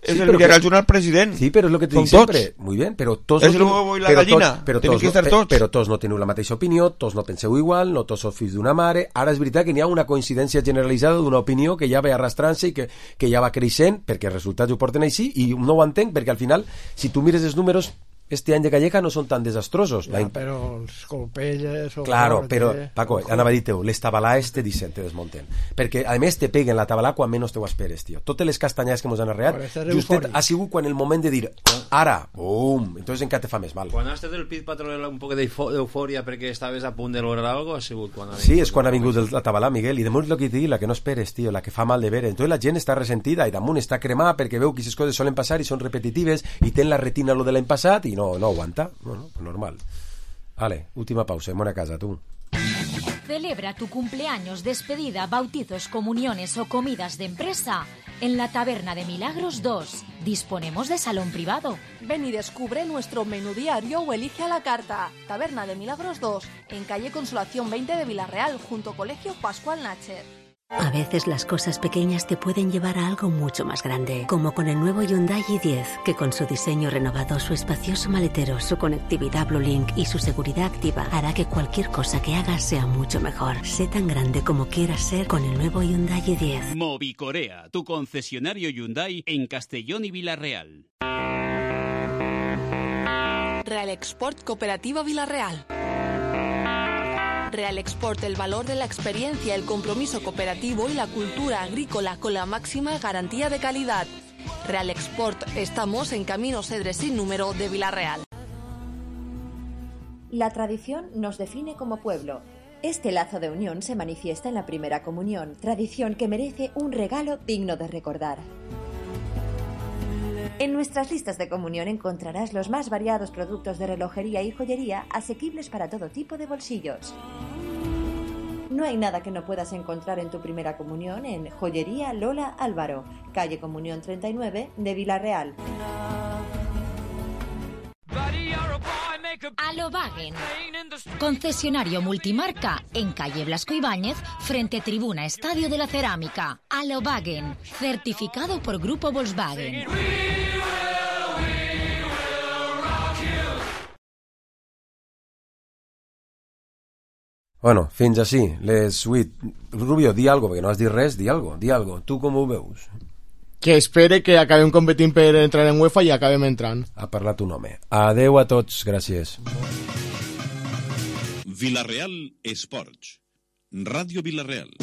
és sí, el Villarreal junt al president. Sí, però és el que te dic sempre, muy bien, però tots és no el huevo i la gallina, tenim que estar tots. Però tots no teniu la mateixa opinió, tots no penseu igual, no tots sou fills d'una mare. Ara és veritat que n'hi ha una coincidència generalitzada d'una opinió que ja va arrastrant-se i que, que ja va creixent, perquè els resultats ho porten així, i no ho entenc, perquè al final, si tu mires els números, este any de Calleja no són tan desastrosos. Ja, però els colpelles... Claro, forte, però, Paco, anava a dir-te, les tabalades te dicen, te desmonten. Perquè, a més, te peguen la tabalà quan menys te ho esperes, tio. Totes les castanyades que mos han arreat, justet ha sigut quan el moment de dir, ara, bum, entonces encara te fa més mal. Quan has estat el Pit Patrol un poc d'eufòria perquè estaves a punt de lograr algo, ha sigut quan ha Sí, és quan ha vingut la tabalà, Miguel, i damunt el que t'he dit, la que no esperes, tio, la que fa mal de veure. Entonces la gent està ressentida i damunt està cremada perquè veu que aquestes coses solen passar i són repetitives i ten la retina lo de l'any passat i no, no aguanta. Bueno, pues normal. Vale, última pausa, en buena casa, tú. Celebra tu cumpleaños, despedida, bautizos, comuniones o comidas de empresa en la Taberna de Milagros dos. Disponemos de salón privado. Ven y descubre nuestro menú diario o elige a la carta. Taberna de Milagros dos, en calle Consolación veinte de Villarreal, junto a Colegio Pascual Nacher. A veces las cosas pequeñas te pueden llevar a algo mucho más grande, como con el nuevo Hyundai i diez, que con su diseño renovado, su espacioso maletero, su conectividad Bluelink y su seguridad activa hará que cualquier cosa que hagas sea mucho mejor. Sé tan grande como quieras ser con el nuevo Hyundai i diez. Movicorea, tu concesionario Hyundai en Castellón y Villarreal. Real Export Cooperativa Villarreal. Real Export, el valor de la experiencia, el compromiso cooperativo y la cultura agrícola con la máxima garantía de calidad. Real Export, estamos en Camino Cedres sin número de Villarreal. La tradición nos define como pueblo. Este lazo de unión se manifiesta en la primera comunión, tradición que merece un regalo digno de recordar. En nuestras listas de comunión encontrarás los más variados productos de relojería y joyería asequibles para todo tipo de bolsillos. No hay nada que no puedas encontrar en tu primera comunión en Joyería Lola Álvaro, calle Comunión treinta y nueve de Villarreal. Alobagen, concesionario multimarca en calle Blasco Ibáñez, frente Tribuna Estadio de la Cerámica. Alobagen, certificado por Grupo Volkswagen. Bueno, fins així, les vuit. Rubio, di algo, perquè no has dit res, di algo, di algo. Tu com ho veus? Que espere que acabem competint per entrar en UEFA i acabem entrant. Ha parlat un home. Adeu a tots, gràcies. Villarreal Esports. Ràdio Villarreal.